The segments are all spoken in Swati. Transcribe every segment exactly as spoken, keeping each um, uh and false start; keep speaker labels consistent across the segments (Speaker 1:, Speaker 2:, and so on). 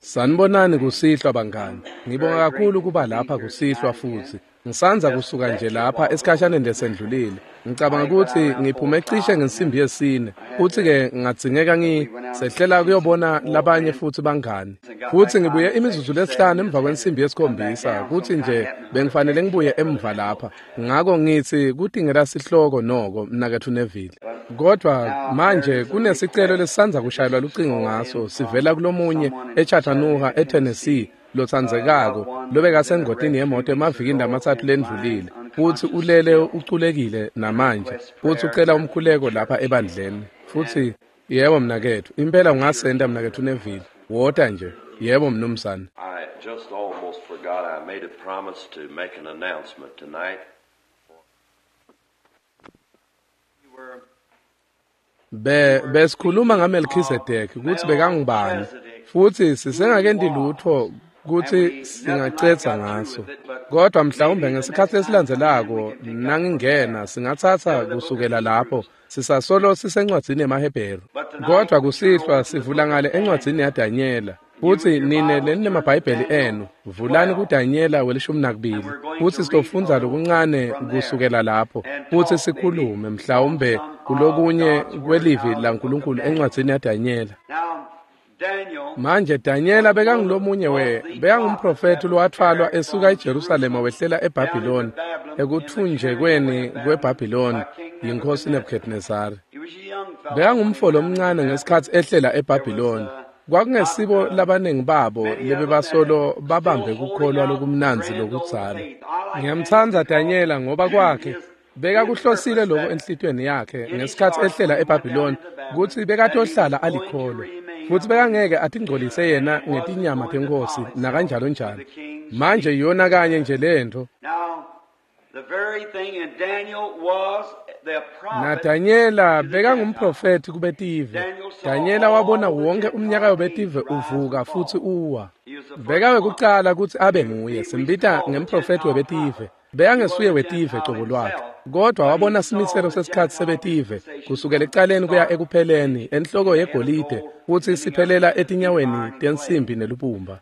Speaker 1: Sanibonani kusihlwa bangani. Ngibonga kakhulu kuba lapha kusihlwa futhi. Ngisanza kusuka nje lapha esikhashaneni lesendlulile. Ngicabanga ukuthi ngiphume cishe ngensimbi yesine. Futhi-ke ngadzingeka ngisehlela kuyobona labanye futhi bangani. Futhi ngibuye imizuzu lesihlanu emva kwensimbi yesikhombisa kuthi nje bengifanele ngibuye emva lapha. Ngako ngithi kudingeka sihloko noko mnaketfu Neville. Kodwa manje kunesicelo lesisanza kushayelwa lucingo ngaso sivela kulomunye eChattanooga eTennessee lotsandzekako lobekasengotini yemoto emavikini lamatsatfu lendlulile futsi ulele uculekile namanje futsi ucela umkhuleko lapha ebandleni. Futsi yebo mnaketfu, impela ungasenta mnaketfu Neville, wota nje. Yebo mnumzane.
Speaker 2: I just almost forgot I made a promise to make an announcement tonight.
Speaker 1: Be besikhuluma ngaMelchizedek kutsi bekangubani futsi sisengakenti lutfo kutsi singacetha ngaso, kodwa mhlawumbe ngesikhatsi lesilandzelako nangingena singatsatsa kusukela lapho. Sisasolo sisencwadzini yemaHebheru, kodwa kusihlwa sivula ngale encwadzini yaDanyela. Futsi nine leninemabhayibheli enu vulani kuDanyela welishumi nakubili futsi sitofundza lokuncane kusukela lapho futsi sikhulume mhlawumbe kulokunye kwelivi laNkulunkulu encwadzini yaDanyela. Manje Danyela bekangulomunye we bekangumprofethi lowathwalwa esuka eJerusalema wehlela eBhabhiloni ekuthunjekweni kweBhabhiloni yinkosi Nebuchadnezzar. Bekangumfo lomncane ngesikhatsi ehlela eBhabhiloni. Kwakungesibo labaningi babo lebebasolo babambe kukholwa lokumnandzi lokudzala. Ngiyamtsandza Danyela ngoba kwakhe bekakuhlosile lokho enhlitiyweni yakhe ngesikhatsi ehlela eBhabhiloni kutsi bekatohlala alikholwa futsi bekangeke atingcolise yena ngetinyama tenkosi nakanjalo njalo. Manje yona kanye nje lento. NaDanyela bekangumprofethi kubetive. Danyela wabona wonke umnyaka webetive uvuka futsi uwa. Bekawekucala kutsi abe nguye, simbita ngemprofethi webetive. Bekangesuye wetive cobo lwakhe, kodwa wabona simiselo sesikhatsi sebetive kusukela ekucaleni kuya ekupheleni enhloko yegolide futsi siphelela etinyaweni tensimbi nelubumba.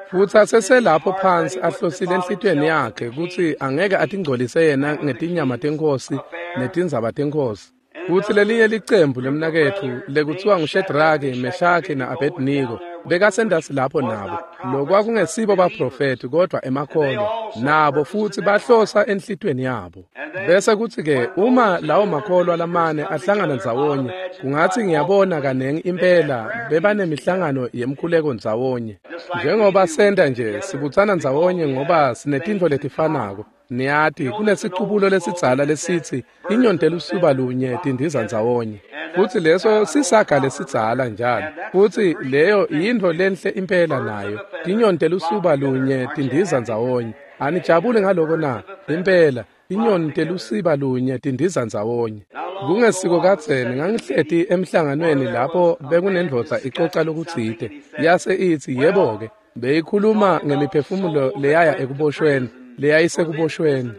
Speaker 1: Futsi aseselapho phansi ahlosile enhlitiyweni yakhe kutsi angeke atingcolise yena ngetinyama tenkosi netindzaba tenkosi. Futsi lelinye licembu lemnaketfu lekutsiwa nguShedraki, Meshaki na-Abednego bekasendasi lapho nabo. Lokwakungesibo baprofethi kodwa emakholwa nabo futsi bahlosa enhlitiyweni yabo. Bese kutsi-ke uma lawo makholwa lamane ahlangana ndzawonye, kungatsi ngiyabona kanengi impela bebanemihlangano yemkhuleko ndzawonye. Njengoba senta nje sibutsana ndzawonye ngoba sinetintfo letifanako. Niyati kunesicubulo lesidzala lesitsi inyoni telusuba lunye tindiza ndzawonye. Futsi leso sisaga lesidzala njalo. Futsi leyo yintfo lenhle impela nayo. Tinyoni telusuba lunye tindiza ndzawonye. Anijabuli ngaloko na? Impela inyoni telusiba lunye tindiza ndzawonye. Kungesiko kadzeni ngangihleti emhlanganweni lapho bekunendvodza icoca lokutsite. Yase itsi yebo-ke beyikhuluma ngemiphefumulo leyaya ekuboshweni leyayisekuboshweni.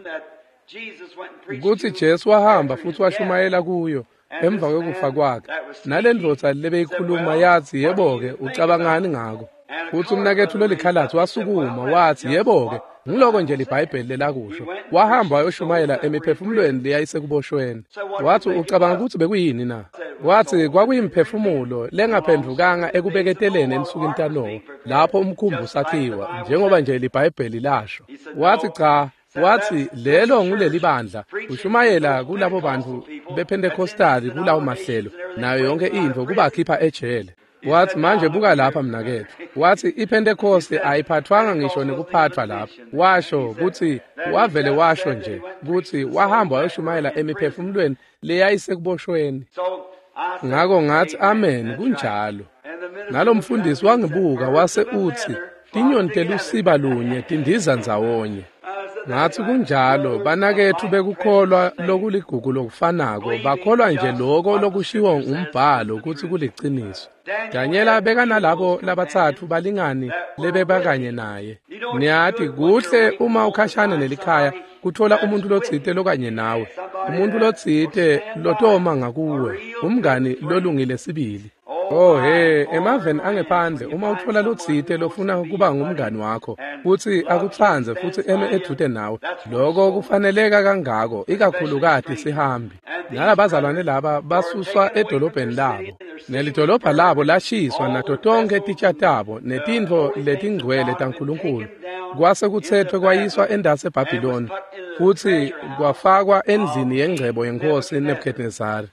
Speaker 1: Kutsi Jesu wahamba futsi washumayela kuyo emva kwekufa kwakhe. Nalendvodza lebeyikhuluma yatsi yebo-ke ucabangani ngako? Futsi umnaketfu lolikhalatsi wasukuma watsi yebo-ke ngiloko nje liBhayibheli lelakusho. Wahamba wayoshumayela emiphefumulweni leyayisekuboshweni. Watsi ucabanga kutsi bekuyini na? Watsi kwakuyimphefumulo lengaphendvukanga ekubeketeleni ensukwini taNowa lapho umkhumbi usakhiwa njengoba nje liBhayibheli lasho. Watsi cha, watsi lelo nguleli bandla ushumayela kulabo bantu bePentecostali kulawo mahlelo nayo yonke intfo kubakhipha ejele. Watsi manje buka lapha mnaketfu. Watsi iPentecost ayiphathwanga ngisho nekuphathwa lapha. Washo kutsi wavele washo nje kutsi wahamba wayoshumayela emiphefumulweni leyayisekuboshweni. Ngako ngatsi amen kunjalo. Nalomfundisi wangibuka wase utsi tinyoni telusiba lunye tindiza ndzawonye. Ngatsi kunjalo banaketfu bekukholwa lokuligugu lokufanako bakholwa nje loko lokushiwo ngumbhalo kutsi kuliciniso. Danyela bekanalabo labatsatfu balingani lebebakanye naye. Niyati kuhle uma ukhashana nelikhaya kutfola umuntu lotsite lokanye nawe, umuntu lotsite lotoma ngakuwe, umngani lolungile sibili. Oh he, emaveni angephandle uma utfola lotsite lofuna kuba ngumngani wakho futsi akutsandze futsi eme edvute nawe, loko kufaneleka kangako ikakhulukati sihambi. Nalabazalwane laba basuswa edolobheni labo, nelidolobha labo lashiswa nato tonkhe titja tabo netintfo letingcwele taNkulunkulu kwase kutsetfwe kwayiswa endase eBhabhiloni futsi kwafakwa endlini yengcebo yenkosi Nebuchadnezzar.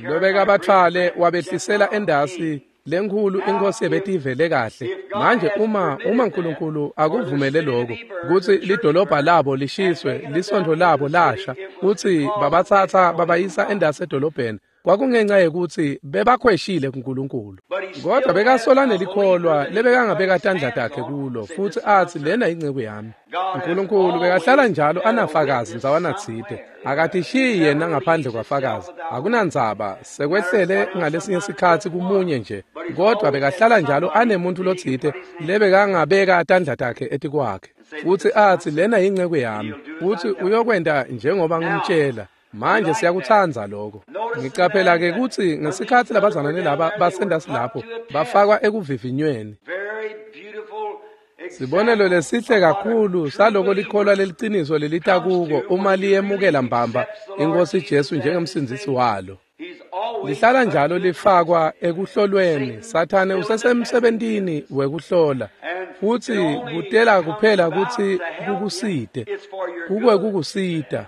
Speaker 1: Lobekabatfwale wabehlisela endasi lenkhulu inkosi yebetivele kahle. Manje uma uma uNkulunkulu akuvumele lokho kutsi lidolobha labo lishiswe, lisontfo labo lasha, kutsi babatsatsa babayisa endasi edolobheni, kwakungenxa yekutsi bebakhweshile kuNkulunkulu. Kodwa bekasola nelikholwa lebekangabeka tandla takhe kulo futsi atsi lena inceku yami. uNkulunkulu bekahlala njalo anafakazi ndzawana tsite, akatishiyi yena ngaphandle kwafakazi. Akunandzaba sekwehlele ngalesinye sikhatsi kumunye nje, kodwa bekahlala njalo anemuntu lotsite lebekangabeka tandla takhe etikwakhe futsi atsi lena inceku yami, futsi uyokwenta njengoba ngimtshela. Manje siyakutsandza lokho. Ngicaphela ke kutsi ngesikhatsi labazalwane laba basendasi lapho bafakwa ekuvivinyweni. Sibonelo lesihle kakhulu saloko likholwa leliciniso lelita kuko uma liyemukela mbamba iNkosi Jesu njengemsindzisi walo. Lihlala njalo lifakwa ekuhlolweni. Sathane usesemsebentini wekuhlola futsi kutela kuphela kutsi kukusite, kukwe kukusita.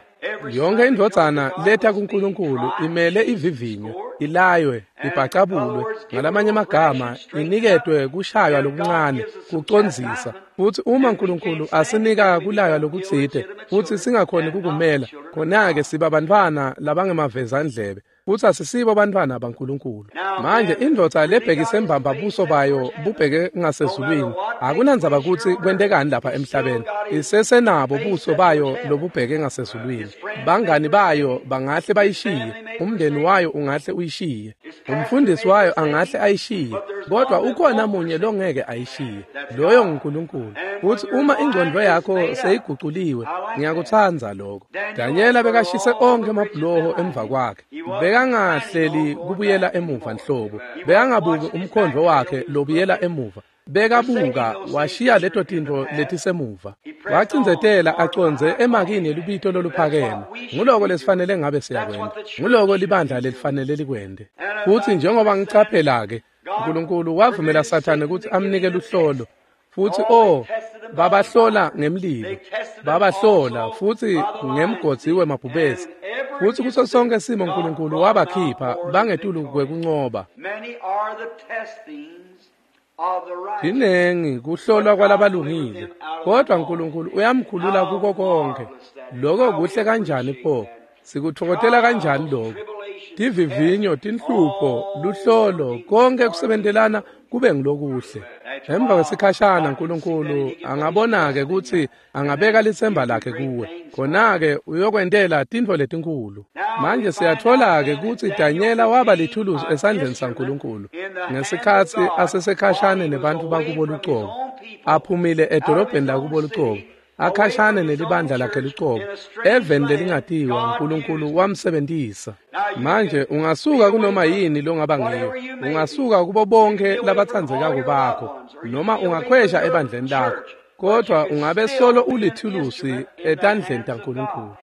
Speaker 1: Yonke indvodzana letha kuNkulunkulu imele ivivinyo, ilaywe, ibhacabulwe, ngalamanye amagama iniketwe kushaywa lokuncane, kucondzisa. Futsi uma uNkulunkulu asinika kulaywa lokutsite futsi singakhoni kukumela, khona-ke siba bantfwana labangemavezandlebe futsi asisibo bantfwana baNkulunkulu. Manje indvodza lebhekise mbamba buso bayo bubheke ngasezulwini, akunandzaba kutsi kwentekani lapha emhlabeni, isesenabo buso bayo lobubheke ngasezulwini. Bangani bayo bangahle bayishiye, umndeni wayo ungahle uyishiye, umfundisi wayo angahle ayishiye, kodwa ukhona munye longeke ayishiye, loyo nguNkulunkulu. Futsi uma ingcondvo yakho seyiguculiwe, ngiyakutsandza lokho. Danyela bekashise onkhe emabhuloho emva kwakhe, bekangahleli kubuyela emuva nhlobo, bekangabuki umkhondvo wakhe lobuyela emuva, bekabuka washiya leto tintfo letisemuva, wacindzetela acondze emakini elubito loluphakeme. Nguloko lesifanele ngabe siyakwenta, nguloko libandla lelifanele likwente. Futsi njengoba ngicaphela-ke, uNkulunkulu wavumela Sathane kutsi amnike luhlolo. Futsi oh, babahlola ngemlilo, babahlola futsi ngemgodzi wemabhubesi. Futsi kuso sonke simo uNkulunkulu wabakhipha bangetulu kwekuncoba. Tinengi kuhlolwa kwalabalungile, kodwa uNkulunkulu uyamkhulula kuko konke. Lokho kuhle kanjani pho? Sikutfokotela kanjani lokho? Tivivinyo, tinhlupho, luhlolo, konke kusebentelana kube ngilokuhle. Emva kwesikhashana uNkulunkulu angabona-ke kutsi angabeka litsemba lakhe kuwe, khona-ke uyokwentela tintfo letinkhulu. Manje siyatfola-ke kutsi Danyela waba lithuluzi esandleni saNkulunkulu ngesikhatsi asesekhashane nebantfu bakubo lucobo, aphumile edolobheni lakubo lucobo, akhashane nelibandla lakhe lucobo, eveni lelingatiwa. uNkulunkulu wamsebentisa. Manje ungasuka kunoma yini longaba ngiyo, ungasuka kubo bonke labatsandzekako bakho, noma ungakhwesha ebandleni lakho, kodwa ungabe solo ulithulusi etandleni taNkulunkulu.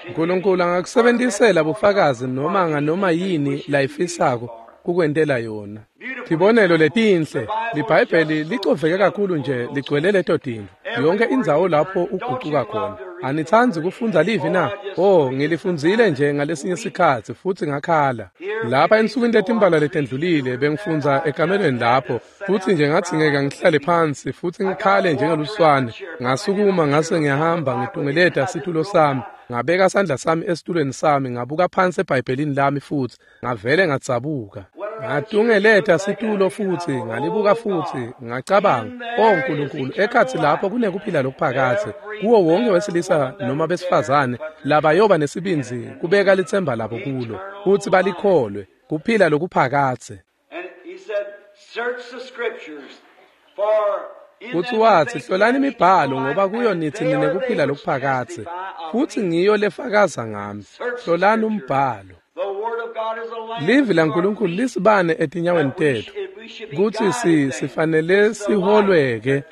Speaker 1: uNkulunkulu angakusebentisela bufakazi noma nganoma yini layifisako kukwentela yona. Tibonelo letinhle, liBhayibheli licoveke kakhulu nje ligcwele leto tintfo. Yonke indzawo lapho ugucuka khona. Anitsandzi kufundza livi na? Oh, ngilifundzile nje ngalesinye sikhatsi futsi ngakhala. Lapha ensukwini letimbalwa letendlulile bengifundza ekamelweni lapho, futsi nje ngadzingeka ngihlale phansi futsi ngikhale njengeluswane. Ngasukuma ngase ngiyahamba ngitungeleta situlo sami, ngabeka sandla sami esitulweni sami, ngabuka phansi eBhayibhelini lami futsi ngavele ngadzabuka. Ngatungeleta situlo futsi ngalibuka futsi ngacabanga, "Oh Nkulunkulu, ekhatsi lapho kunekuphila lokuphakadze kuwo wonke wesilisa noma besifazane labayoba nesibindzi kubeka litsemba labo kulo futsi balikholwe, kuphila lokuphakadze." Futsi watsi, "Hlolani imibhalo ngoba kuyo nithi ninekuphila lokuphakadze, futsi ngiyo lefakaza ngami. Hlolani umbhalo." Livi laNkulunkulu lisibane etinyaweni tetfu, Kutsi si sifanele siholweke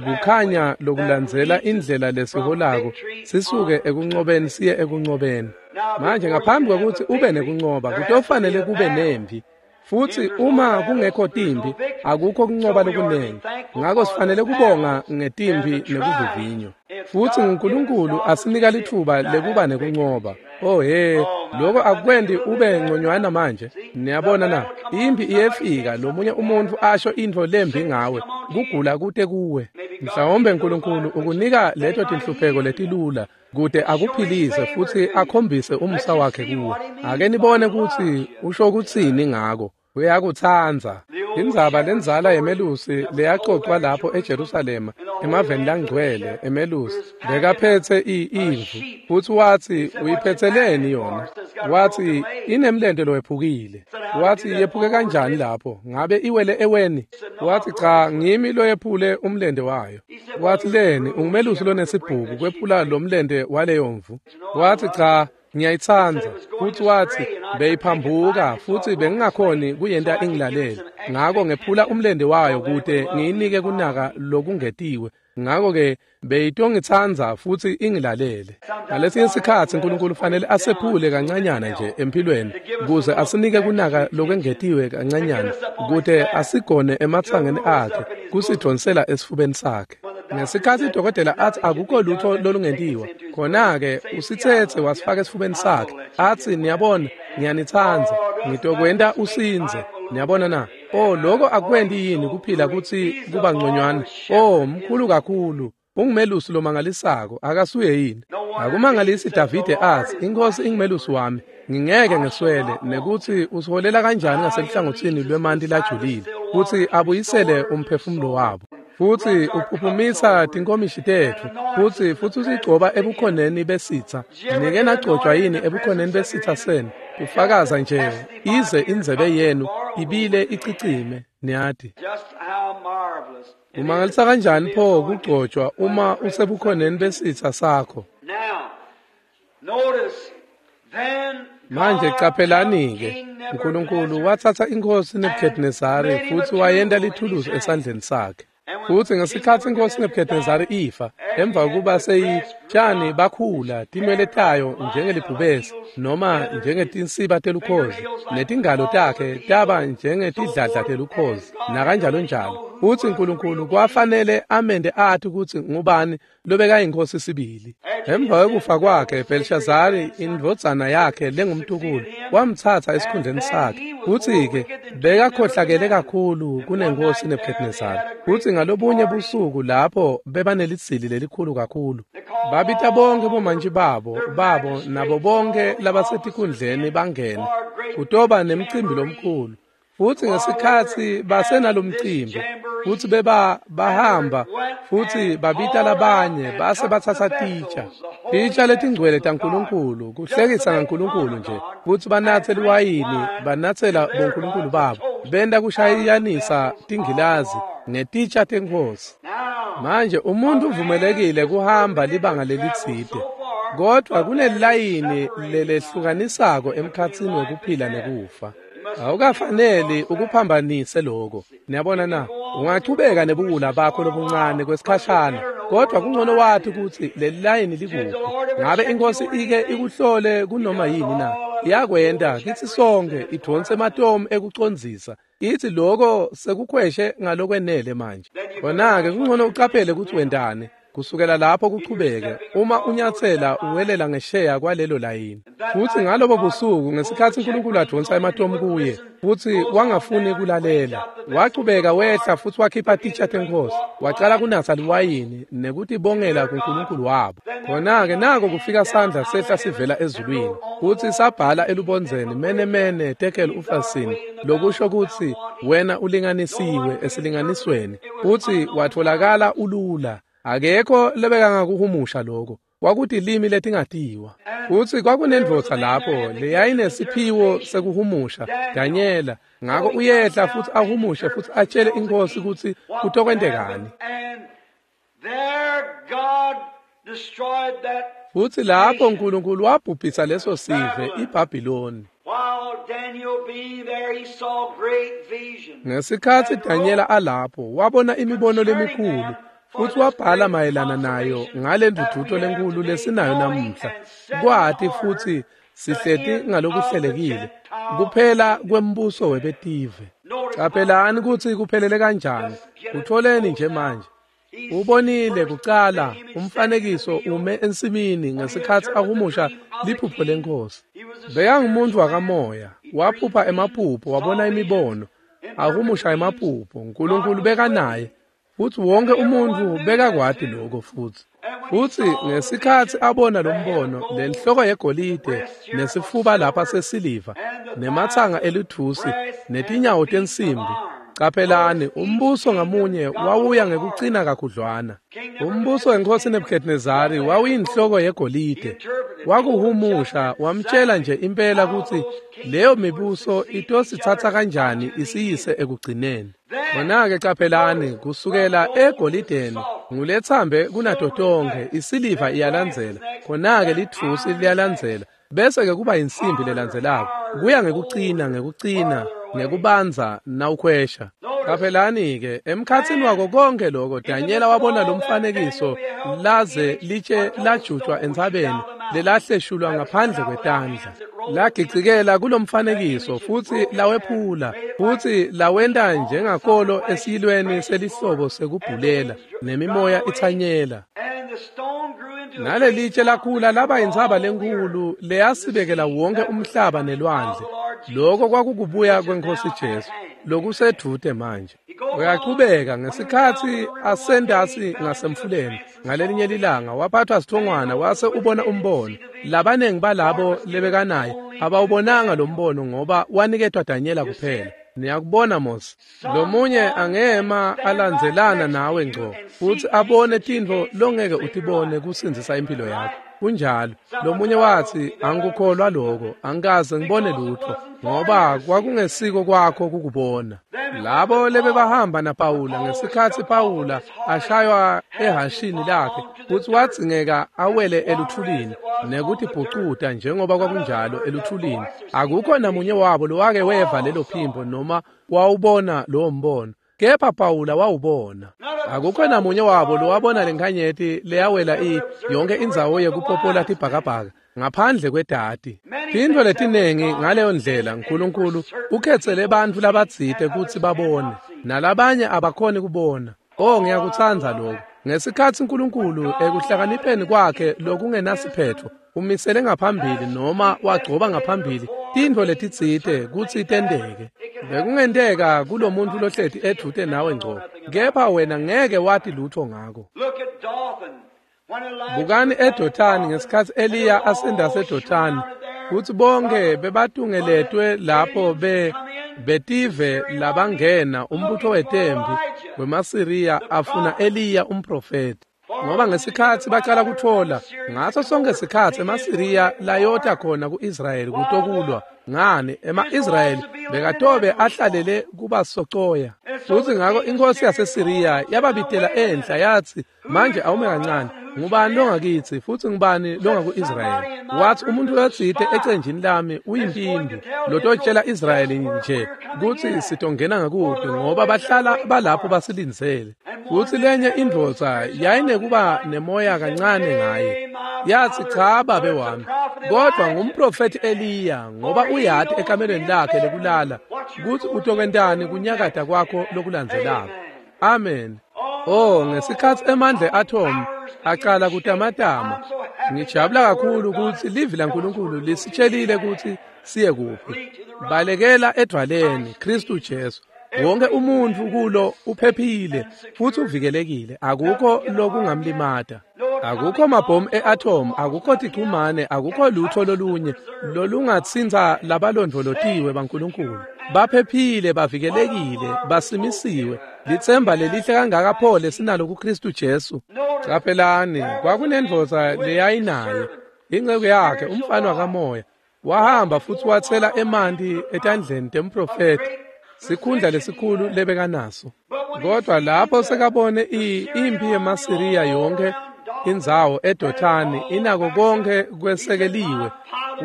Speaker 1: kukhanya lokulandzela indlela lesiholako sisuke ekuncobeni siye ekuncobeni. Manje ngaphambi kwekutsi ube nekuncoba kutofanele kube nempi. Futsi uma kungekho timpi akukho kuncoba lokunengi. Ngako sifanele kubonga ngetimpi nekuvivinywa. Futsi uNkulunkulu asinika litfuba lekuba nekuncoba. Oh he, lokho akukwendi ube ngconywana manje. Niyabona na? Impi iyefika lomunye umuntu asho intfo lembi ngawe, kugula kute kuwe. Mhlawumbe uNkulunkulu ukunika leto tinhlupheko letilula kute akuphilise futsi akhombise umusa wakhe kuwe. Ake nibone kutsi usho kutsini ngako. Uyakutsandza. Indzaba lendzala yemelusi leyacocwa lapho eJerusalema emaveni langcwele emelusi bekaphetse imvu futsi watsi uyiphetseleni yona? Watsi inemlente lowephukile. Watsi yephuke kanjani lapho? Ngabe iwele eweni? Watsi cha, ngimi loyephule umlente wayo. Watsi leni ungumelusi lonesibhuku kwephula lo mlente waleyo mvu? Watsi cha, ngiyayitsandza. Futsi watsi beyiphambuka futsi bengingakhoni kuyenta ingilalele. Ngako ngephula umlente wayo kute ngiyinike kunaka lokungetiwe. Ngako-ke beyitongitsandza futsi ingilalele. Ngalesinye sikhatsi uNkulunkulu fanele asephule kancanyana nje empilweni kuze asinike kunaka lokwengetiwe kancanyana kute asigone ematsangeni akhe kusidvonsela esifubeni sakhe. Ngesikhatsi udokotela atsi akukho lutfo lolungentiwa, khona-ke usitsetse wasifaka esifubeni sakhe atsi niyabona ngiyanitsandza ngitokwenta usindze. Niyabona na? Oh, lokho akwendi yini kuphila kutsi kuba ngconywana? Oh, mkhulu kakhulu. Ungumelusi lomangalisako, akasuye yini? Akumangalisi Davide atsi inkosi ingumelusi wami, ngingeke ngeswele, nekutsi usiholela kanjani ngaseluhlangotsini lwemanti lajulile kutsi abuyisele umphefumulo wabo. Futsi uphuphumisa tinkomishi tetfu futsi futsi usigcoba ebukhoneni besitha. Nike nagcotshwa yini ebukhoneni besitha senu? Ufakaza nje ize indzebe yenu ibile icicime. Niyati umangalisa kanjani pho kugcotshwa uma usebukhoneni besitha sakho? Manje caphelani-ke, uNkulunkulu watsatsa inkosi Nebuchadnezzari futsi wayenta lithuluzi esandleni sakhe. Futsi ngesikhatsi inkosi Nebuchadnezzari ifa, emva kokuba seyitshani bakhula tinwele tayo njengelibhubesi noma njengetinsiba telukhozi, netingalo takhe taba njengetidladla telukhozi nakanjalo njalo. Futsi uNkulunkulu kwafanele amente athi kutsi ngubani lobekayinkosi sibili. Emva kwekufa kwakhe, Bhelshazari indvodzana yakhe lengumtukulu wamtsatsa esikhundleni sakhe. Futsi-ke bekakhohlakele kakhulu kunenkosi Nebuchadnezzari. Futsi ngalobunye busuku lapho bebanelitsili lelikhulu kakhulu, babita bonke bomantji babo babo nabo bonke labasetikhundleni bangene kutoba nemcimbi lomkhulu. Futsi ngesikhatsi basenalomcimbi futsi beba bahamba futsi babita labanye base batsatsa titsha titsha letingcwele taNkulunkulu kuhlekisa ngaNkulunkulu nje, futsi banatse liwayini banatsela bonkulunkulu babo benta kushayiyanisa tingilazi ngetitsha tenkhosi. Manje umuntu uvumelekile kuhamba libanga lelitsite, kodvwa kunelilayini lelehlukanisako emkhatsini wekuphila nekufa. Awukafaneli ukuphambanise lokho. Niyabona na? Ungachubeka nebuwula bakho lobuncane kwesikhashana, kodwa kungcono wathi kutsi leli layini likuphi. Ngabe inkosi ike ikuhlole kunoma yini na? Iyakwenta kitsi sonke idvonse ematomu ekucondzisa. Ithi lokho sekukhweshe ngalokwenele manje. Khona-ke kungcono ucaphele kutsi wentani. Kusukela lapho kuchubeke uma unyatsela uwelela ngesheya kwalelo layini. Futsi ngalobo busuku ngesikhatsi uNkulunkulu advonsa ematomu kuye futsi wangafuni kulalela, wachubeka wehla futsi wakhipha titsha tenkhosi, wacala kunatsa liwayini nekutibongela kuNkulunkulu wabo. Khona-ke nako kufika sandla sehla sivela ezulwini futsi sabhala elubondzeni mene mene tekel ufasin, lokusho kutsi wena ulinganisiwe esilinganisweni, futsi watfolakala ulula. Akekho lebekangakuhumusha lokho. Kwakutilimi letingatiwa. Futsi kwakunendvodza lapho leyayinesiphiwo sekuhumusha, Danyela. Ngako uyehla futsi ahumushe futsi atshele inkosi kutsi kutokwentekani. Futsi lapho uNkulunkulu wabhubhisa leso sive iBhabhiloni. Ngesikhatsi Danyela alapho wabona imibono lemikhulu futsi wabhala mayelana nayo ngalendvudvuto lenkulu lesinayo namuhla kwati futsi sihleti ngalokuhlelekile kuphela kwembuso webetive. Caphelani kutsi kuphelele kanjani. Kutholeni nje manje. Ubonile kucala umfanekiso ume ensimini ngesikhatsi ahumusha liphupho lenkosi. Bekangumuntu wakamoya, waphupha emaphupho, wabona imibono, ahumusha emaphupho. Nkulunkulu bekanaye futsi wonke umuntfu bekakwati lokho futsi. Futsi ngesikhatsi abona lombono, lenhloko yegolide nesifuba lapha sesiliva nematsanga elithusi netinyawo tensimbi. Caphelani, umbuso ngamunye wawuya ngekucina kakhudlwana. Umbuso wenkosi Nebuchadnezzari wawuyinhloko yegolide. Wakuhumusha wamtshela nje impela kutsi leyo mibuso itositsatsa kanjani isiyise ekugcineni. Khona-ke caphelani, kusukela egolideni ngulethambe kunato tonkhe, isiliva iyalandzela, khona-ke lithusi liyalandzela, bese-ke kuba insimbi lelandzelako, kuya ngekucina ngekucina ngekubanza nawukhwesha. Caphelani-ke emkhatsini wako konke loko Danyela wabona lo mfanekiso laze litshe lajutshwa entsabeni lelahleshulwa ngaphandle kwetandla. Lagicikela kulomfanekiso futsi lawephula futsi lawenta njengakolo esiyilweni selihlobo sekubhulela nemimoya itsanyela. Nalelitshe lakhula laba intsaba lenkulu leyasibekela wonke umhlaba nelwandle. Lokho kwakukubuya kwenkosi Jesu lokusedvute manje. Uyachubeka ngesikhatsi asendasi ngasemfuleni ngalelinye lilanga waphathwa sithongwana wase ubona umbono. Labanengi balabo lebekanaye abawubonanga lo mbono ngoba waniketwa Danyela kuphela. Niyakubona Mose, lomunye angema alandzelana nawe ngco futsi abone tintfo longeke utibone kusindzisa impilo yakho. Kunjalo. Lomunye watsi angikukholwa lokho, angikaze ngibone lutho ngoba kwakungesiko kwakho kukubona. Labo lebebahamba naPawula ngesikhatsi Pawula ashaywa ehashini lakhe futsi wadzingeka awele eluthulini nekutibhucuta njengoba kwakunjalo eluthulini, akukho namunye wabo lowake weva lelo phimbo noma wawubona lowo mbono. Kepha Pawula wawubona. Akukho namunye wabo lowabona lenkhanyeti leyawela i yonke indzawo yekupopola tibhakabhaka ngaphandle kwedati. Tintfo letinengi ngaleyo ndlela Nkulunkulu ukhetsele bantfu labatsite kutsi babone nalabanye abakhoni kubona. Oh, ngiyakutsandza lokho. Ngesikhatsi Nkulunkulu ekuhlakanipheni kwakhe lokungenasiphetho umisele ngaphambili noma wagcoba ngaphambili tintfo letitsite kutsi tenteke. Bekungenteka kulomuntu lohleti edvute nawe ngco, kepha wena ngeke wati lutho ngako. Bukani eDothani ngesikhatsi Eliya asendase eDothani, kutsi bonke bebatungeletwe lapho be betive labangena umbutho wetempi wemaSiriya afuna Eliya umprofeti. Ngoba ngesikhatsi bacala kutfola ngaso sonke sikhatsi emaSiriya layota khona ku-Israyeli kutokulwa ngani ema-Israyeli bekatobe ahlalele kubasocoya. Futsi ngako inkosi yaseSiriya yababitela enhla yatsi, manje awume kancane, ngubani longakitsi futsi ngubani longaku-Israyeli? Watsi umuntu lotsite ecenjini lami uyimpimbi lototshela Israyeli nje kutsi sitongena ngakuphi ngoba bahlala balapho basilindzele. Futsi lenye indvodza yayinekuba nemoya kancane ngaye. Yatsi cha babe wami, kodvwa ngumprofethi Eliya ngoba uyati ekamelweni lakhe lekulala kutsi utokwentani kunyakata kwakho lokulandzelako. Amen. Oh, ngesikhatsi emandla e-atom acala kutamatama, ngijabula kakhulu kutsi livi laNkulunkulu lisitshelile kutsi siye kuphi. Balekela edvwaleni Kristu Jesu. Wonke umuntfu kulo uphephile futsi uvikelekile, akukho lokungamlimata. Akukho mabhomu e-atom, akukho tichumane, akukho lutho lolunye lolungatsintsa labalondvolotiwe baNkulunkulu. Baphephile, bavikelekile, basimisiwe. Litsemba lelihle kangaka pho lesinalo kuKristu Jesu. Caphelani, kwakunendvodza leyayinaye inceku yakhe, umfana wakamoya, wahamba futsi watsela emanti etandleni temprofethi, sikhundla lesikhulu lebekanaso. Kodwa lapho sekabone impi yemaSiriya yonke indzawo eDothani inako konke kwesekeliwe,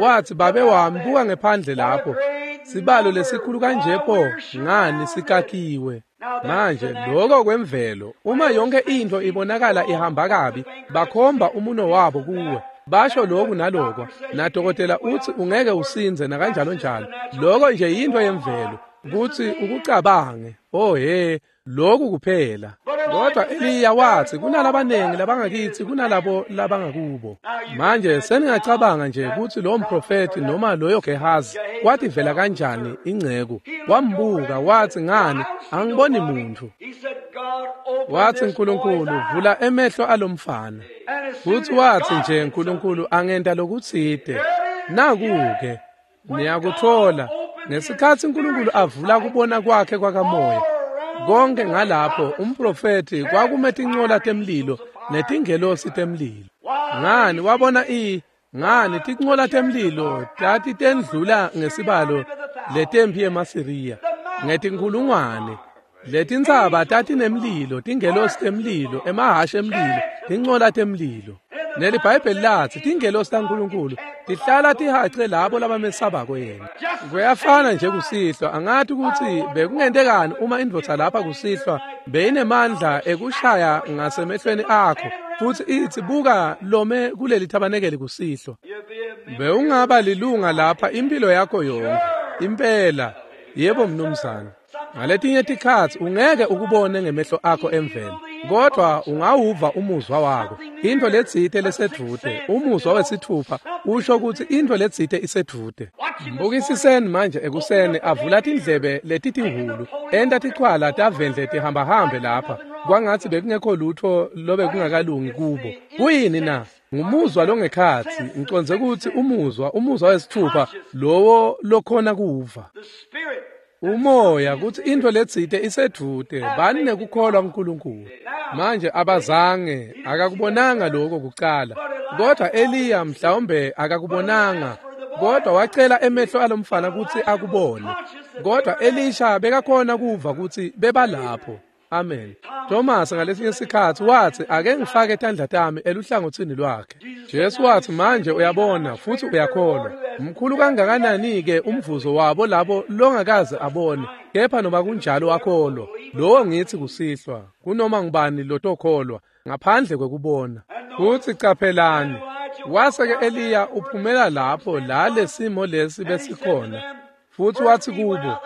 Speaker 1: Watsi, babe wami, buka ngephandle lapho. Sibalo lesikhulu kanje pho, ngani sikakiwe. Manje lokho kwemvelo, uma yonke into ibonakala ihamba kabi, bakhomba umuno wabo kuwe. Basho lokhu nalokho, nadokotela uthi ungeke usinze nakanjalo njalo. Lokho nje yinto yemvelo, kuthi ukucabange. Oh he, lokhu kuphela. Kodwa Eliya wathi kunalabanengi labangakithi kunalabo labangakubo. Manje seningacabanga nje ukuthi lo mprofeti noma loyo Gehazi kwathi vela kanjani ingceku. Wambuka wathi, ngani angiboni muntu. Wathi, uNkulunkulu vula emehlo alomfana. Futhi wathi nje uNkulunkulu angenta lokutsite. Naku-ke niyakuthola ngesikhathi uNkulunkulu avula kubona kwakhe kwakamoya. Konke ngalapho umprofeti kwakume tincola temlilo netingelosi temlilo. Ngani wabona i ngani tincola temlilo tati tendlula ngesibalo letempi yemaSiriya ngetinkhulungwane. Letintsaba tatinemlilo, tingelosi temlilo, emahhashi emlilo, tincola temlilo. NeliBhayibheli lathi tingelosi taNkulunkulu tihlala tihace labo labamesabako yena. Kuyafana nje kusihlwa, angathi ukuthi bekungentekani uma indvodza lapha kusihlwa beyinemandla ekushaya ngasemehlweni akho futhi ithi buka lome kuleli thabanekeli kusihlwa. Bewungaba lilunga lapha impilo yakho yonke. Impela, yebo mnumzane. Ngaletinye tikhatsi ungeke ukubone ngemehlo akho emvelo, kodwa ungawuva umuzwa wakho. Into letsite lesedvute, umuzwa wesithupha usho ukuthi into letsite isedvute. Mbukisiseni manje ekuseni avula tindlebe letitihulu, enta tichwala tavendle tihambahambe lapha, kwangatsi bekungekho lutho lobe kungakalungi kubo. Kuyini na? Ngumuzwa longekhatsi, ngicondze ukuthi umuzwa, umuzwa wesithupha lowo lokhona kuva. Umoya kuthi into letsite isedvute, bani nekukholwa kuNkulunkulu. Manje abazange, akakubonanga lokho kucala. Kodwa Eliya mhlawumbe akakubonanga, kodwa wacela emehlo alomfana ukuthi akubone. Kodwa Elisha bekakhona kuva ukuthi bebalapho. Amen. Thomas ngalesinye isikhathi wathi ake ngifake tandla tami eluhlangothini lwakhe. Jesu wathi manje uyabona futhi uyakholwa. Mkhulu kangakanani ke umvuzo wabo labo longakaze abone, kepha noma kunjalo wakholwa. Lowo ngithi kusihlwa, kunoma ngubani lotokholwa ngaphandle kwekubona. Futhi caphelani, wase ke Eliya uphumela lapho la lesimo lesi besikhona. Futhi wathi kubo,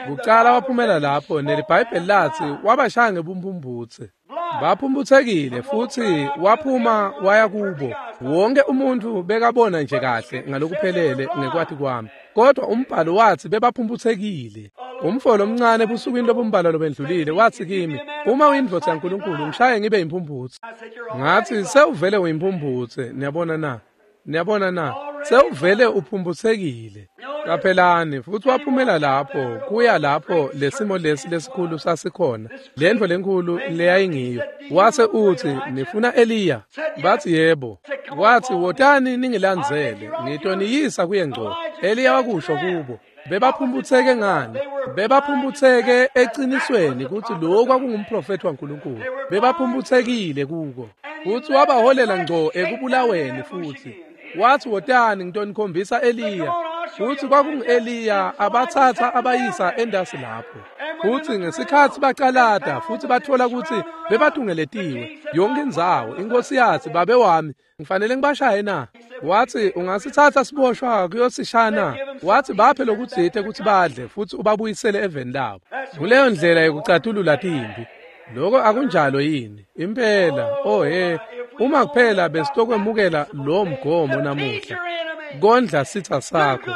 Speaker 1: kucala waphumela lapho neliBhayibheli lathi wabashaya ngebumphumbutse. Baphumbuthekile futhi waphuma waya kubo. Wonke umuntu bekabona nje kahle ngalokuphelele ngekwati kwami. Kodwa umbhalo wathi bebaphumbuthekile. Umfolo omncane ebusukwini lobumbalwa lobendlulile wathi kimi, uma uyindvodza yaNkulunkulu ngishaye ngibe yimphumbutse. Ngathi sewuvele uyimphumphutse, niyabona na? Niyabona na? Sewuvele uphumbuthekile. Qaphelani, futhi waphumela lapho, kuya lapho lesimo lesi lesikhulu sasikhona, lendlu lenkulu leyayingiyo. Wase uthi, nifuna Eliya? Bathi yebo. Wathi, wotani ningilandzele, ngitoniyisa kuye ngco. Eliya wakusho kubo. Bebaphumbutheke ngani? Bebaphumbutheke eqinisweni ukuthi lo kwakungumprofeti waNkulunkulu. Bebaphumbuthekile kuko. Futhi wabaholela ngco ekubulaweni futhi. Wathi wotani ngitonikhombisa Eliya. Futhi kwakungu-Eliya abathatha abayisa endasi lapho. Futhi ngesikhathi bacalada futhi bathola ukuthi bebatungeletiwe yonke indzawo, inkosi yathi, babe wami ngifanele ngibashaye na? Wathi ungasithatha siboshwa kuyosishaya na? Wathi baphe lokutsite ukuthi badle futhi ubabuyisele eveni labo. Kuleyo ndlela yokucatulula timpi. Lokho akunjalo yini? Impela, oh he, uma kuphela besitokwemukela lo mgomo namuhla. Kondla sitha sakho,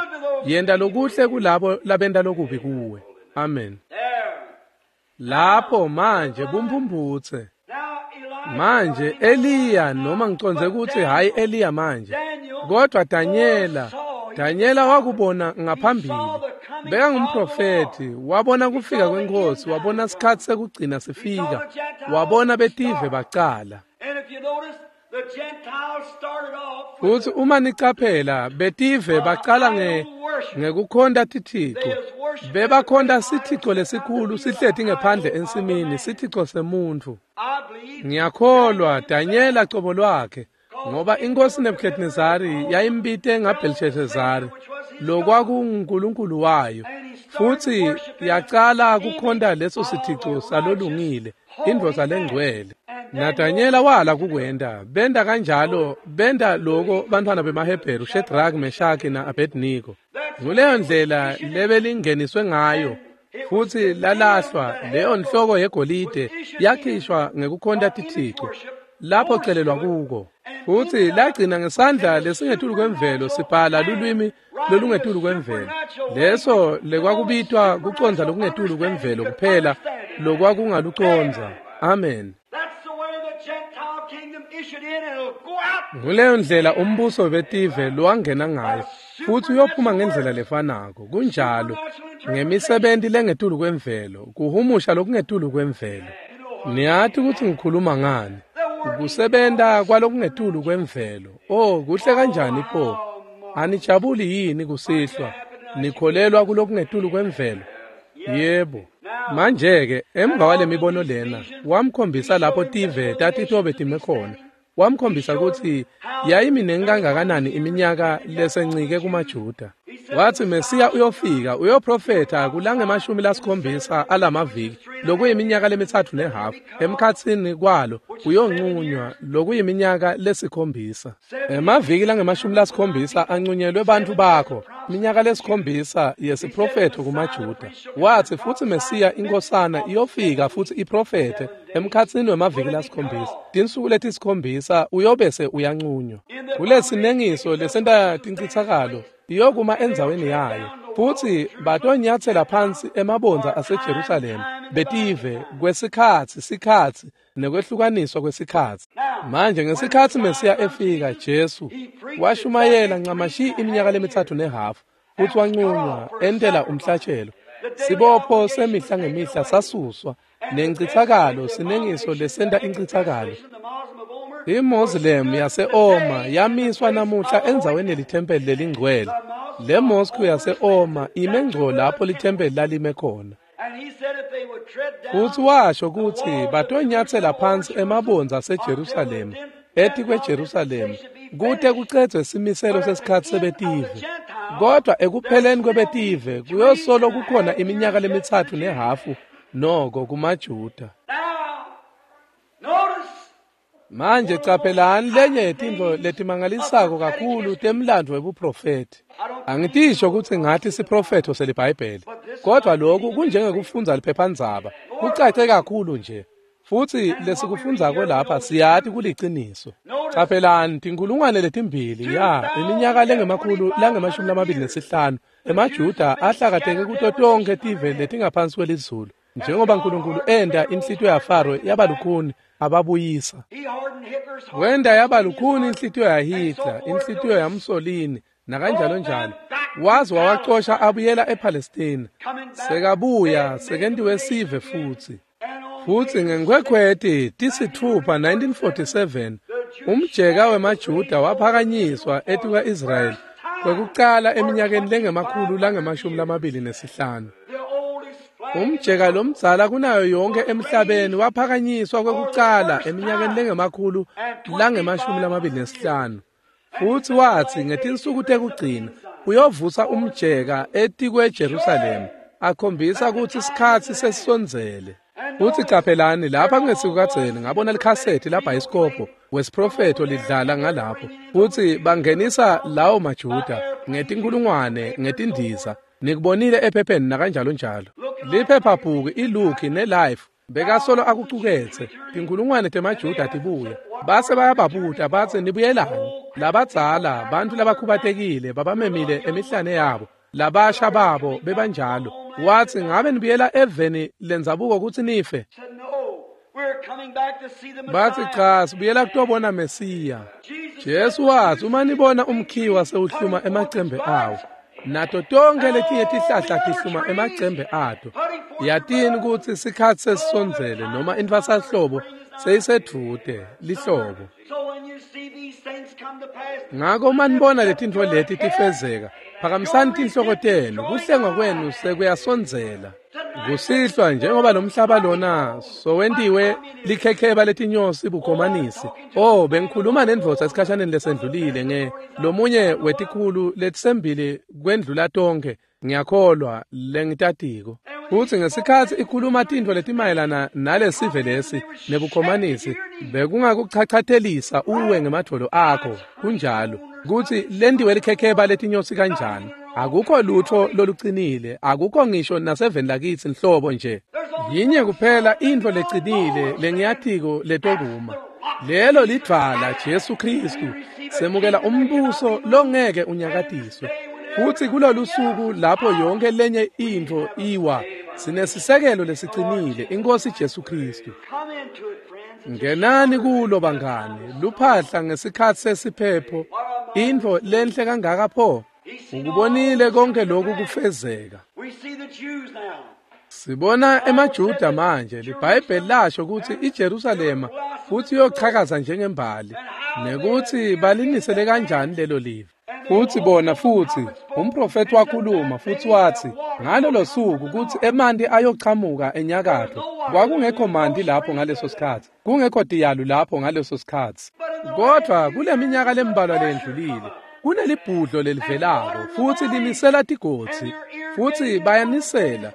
Speaker 1: yenta lokuhle kulabo labenta lokubi kuwe. Amen. Lapho manje bumphumbutse. Manje Eliya, noma ngicondze ukuthi hayi Eliya manje, kodwa Danyela, Danyela wakubona ngaphambili. Bekangumprofeti, wabona kufika kwenkosi, wabona isikhathi sekugcina sifika, wabona betive bacala. Futhi uma nicaphela betive bacala nge ngekukhonta tithixo. Bebakhonta sithixo lesikhulu sihleti ngephandle ensimini, sithixo semuntu. Ngiyakholwa Danyela cobo lwakhe Ngoba inkosi Nebuchadnezzari yayimbite ngaBelshazari, lokwakungunkulunkulu wayo, futhi yacala kukhonta leso sithico salolungile, indvodza lengcwele. NaDanyela wala kukwenta, benta kanjalo, benta loko bantfwana bemaHebheru Shadrach, Meshach na-Abednego. Nguleyo ndlela lebelingeniswe ngayo, futhi lalahlwa leyo nhloko yegolide yakhishwa ngekukhonta tithico lapho celelwa kuko. Futhi lagcina ngesandla lesingetulu kwemvelo sibhala lulwimi lolungetulu kwemvelo, leso lekwakubitwa kucondza lokungetulu kwemvelo kuphela lokwakungalucondza. Amen. Nguleyo ndlela umbuso wetive lowangena ngayo, futhi uyophuma ngendlela lefanako. Kunjalo, ngemisebenti lengetulu kwemvelo, kuhumusha lokungetulu kwemvelo. Niyati ukuthi ngikhuluma ngani? Kusebenta kwalokungetulu kwemvelo. Oh, kuhle kanjani pho? Anijabuli yini kusihlwa? Nikholelwa kulokungetulu kwemvelo? Yebo. Manje-ke emva kwale mibono lena, wamkhombisa lapho tive tatitobe time khona. Wamkhombisa ukuthi yayiminengi kangakanani iminyaka lesencike kumaJuda. Wathi Mesiya uyofika, uyoprofetha kulangemashumi lasikhombisa alamaviki, lokuyiminyaka lemitsatfu nehafu, emkhatsini kwalo uyonqunywa lokuyiminyaka lesikhombisa. Emaviki langemashumi lasikhombisa anqunyelwe bantfu bakho, iminyaka lesikhombisa yesiprofetho kumaJuda. Wathi futhi Mesiya inkosana iyofika futhi iprofethe emkhatsini wemaviki lasikhombisa. Tinsuku letisikhombisa uyobese uyanqunywa. Kulesinengiso lesenta tincitsakalo iyokuma endzaweni yayo, futhi batonyatsela phansi emabondza aseJerusalema betive kwesikhatsi sikhatsi nekwehlukaniswa kwesikhatsi. Manje ngesikhatsi Mesiya efika, Jesu washumayela ncamashi iminyaka lemitsatfu nehafu, futhi wanqunywa entela umhlatshelo. Sibopho semihla ngemihla sasuswa, nencitsakalo sinengiso lesenta incitsakalo. IMoslem yase-Oma yamiswa namuhla endzaweni yelithempeli lelingcwele. Le mosque yase-Oma ime ngco lapho lithempeli lalime khona. Futhi washo ukuthi batonyatsela phansi emabondza aseJerusalema, etikweJerusalema, kute kucedzwe simiselo sesikhatsi sebetive. Kodwa ekupheleni kwebetive kuyosolo kukhona iminyaka lemitsatfu nehafu noko kumaJuda. Manje caphelani lenye yetintfo letimangalisako kakhulu temlandvo webuprofethi. Angitisho ukuthi ngathi siprofetho seliBhayibheli, kodwa lokhu kunjengekufundza liphephandzaba, kucace kakhulu nje. Futhi lesikufundzako lapha siyati kuliciniso. Caphelani tinkulungwane letimbili ya iminyaka lengemakhulu langemashumi lamabili nesihlanu emaJuda ahlakateke kuto tonkhe tive letingaphansi kwelizulu, njengoba Nkulunkulu enda inhlitiyo yaFaro yaba lukhuni ababuyisa. Wenda yaba lukhuni inhlitiyo yaHitler, inhlitiyo yaMussolini nakanjalo njalo. Waze wawacosha abuyela ePalestina. Sekabuya sekentiwe sive futhi. Futhi ngenkhwekhweti tisitfupha nineteen forty-seven umjeka wemaJuda waphakanyiswa etikwa-Israyeli kwekucala eminyakeni lengemakhulu langemashumi lamabili nesihlanu. Umjeka lomdzala kunayo yonke emhlabeni waphakanyiswa kwekucala eminyakeni lengemakhulu langemashumi lamabili nesihlanu. Futhi wathi ngetinsuku tekugcina uyovusa umjeka etikweJerusalema, akhombisa ukuthi isikhatsi sesisondzele. Futhi caphelani lapha kungesikukadzeni ngabona likhasethi labhayisikobho wesiprofetho lidlala ngalapho, futhi bangenisa lawo maJuda ngetinkulungwane ngetindiza. Nikubonile ephepheni nakanjalo njalo. Liphephabhuku iLuke neLife bekasolo akucuketse tinkulungwane temaJuda tibuya. Base bayababuta batsi nibuyelani? Labadzala bantfu labakhubatekile babamemile emihlane yabo, labasha babo bebanjalo. Wathi ngabe nibuyela eveni lendzabuko kutsi nife? Bathi cha, sibuyela kutobona Mesiya. Jesu wathi uma nibona umkhiwa sewuhluma emacembe awo, nato tonke letinye tihlahla tihluma emacembe ato, yatini kutsi sikhatsi sesisondzele noma intfwasahlobo seyisedvute lihlobo. Ngako uma nibona letintfo leti tifezeka, Phakamisani tinhloko tenu, kuhlengwa kwenu sekuyasondzela. Kusihlwa njengoba lo mhlaba lona sowentiwe likhekheba letinyosi bukhomanisi. Oh, bengikhuluma nendvodza esikhashaneni lesendlulile nge lomunye wetikhulu letisembili kwendlula tonkhe, ngiyakholwa lengitatiko. Futsi ngesikhatsi ikhuluma tintfo letimayelana nalesive lesi nebukhomanisi, bekungakuchachatelisa uwe ngemadvolo akho. Kunjalo kutsi lentiwe likhekheba letinyosi kanjani. Akukho lutho lolucinile, akukho ngisho naseveni lakitsi nhlobo nje. Yinye kuphela intfo lecinile lengiyatiko letokuma. Lelo lidvwala Jesu Kristu. Semukela umbuso longeke unyakatiswe. Futsi kulolu suku lapho yonke lenye intfo iwa, sinesisekelo lesicinile, iNkhosi Jesu Kristu.
Speaker 3: Come into it, friends.
Speaker 1: Ngenani kulo bangani, luphahla ngesikhatsi sesiphepho, intfo lenhle kangaka pho. Ukubonile konke lokhu kufezeka.
Speaker 3: We see the Jews now.
Speaker 1: Sibona emaJuda manje, liBhayibheli lasho kutsi iJerusalema futhi iyochakaza njengembali, nekuthi balinisele kanjani lelo live. Futhi bona futhi umprofeti wakhuluma futhi wathi ngalolo suku kutsi emanti ayochamuka enyakatfo. Kwakungekho manti lapho ngaleso sikhatsi, kungekho tiyalu lapho ngaleso sikhatsi. Kodvwa kule minyaka lembalwa lendlulile, kunelibhudlo lelivelako futhi linisela tigodzi, futhi bayanisela.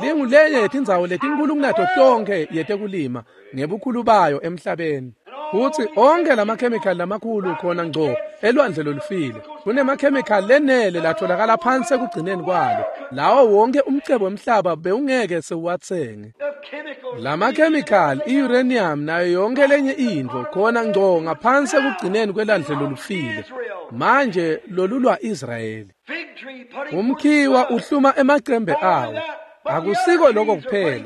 Speaker 1: Lingulenye yetindzawo letinkulu kunato tonkhe yetekulima ngebukhulu bayo emhlabeni. Futsi onke lamakhemikhali lamakhulu khona ngco elwandle lolufile. Kunemakhemikhali lenele latholakala phansi ekugcineni kwalo. Lawo wonke umcebo wemhlaba bewungeke sewuwatsenge.
Speaker 3: The chemicals.
Speaker 1: Lamakhemikhali, i-uranium nayo yonke lenye intfo khona ngco ngaphansi ekugcineni kwelwandle lolufile. Manje lolulwa Israyeli.
Speaker 3: Fig tree putting
Speaker 1: Umkhiwa uhluma emacembe awo. Akusiko lokho kuphela,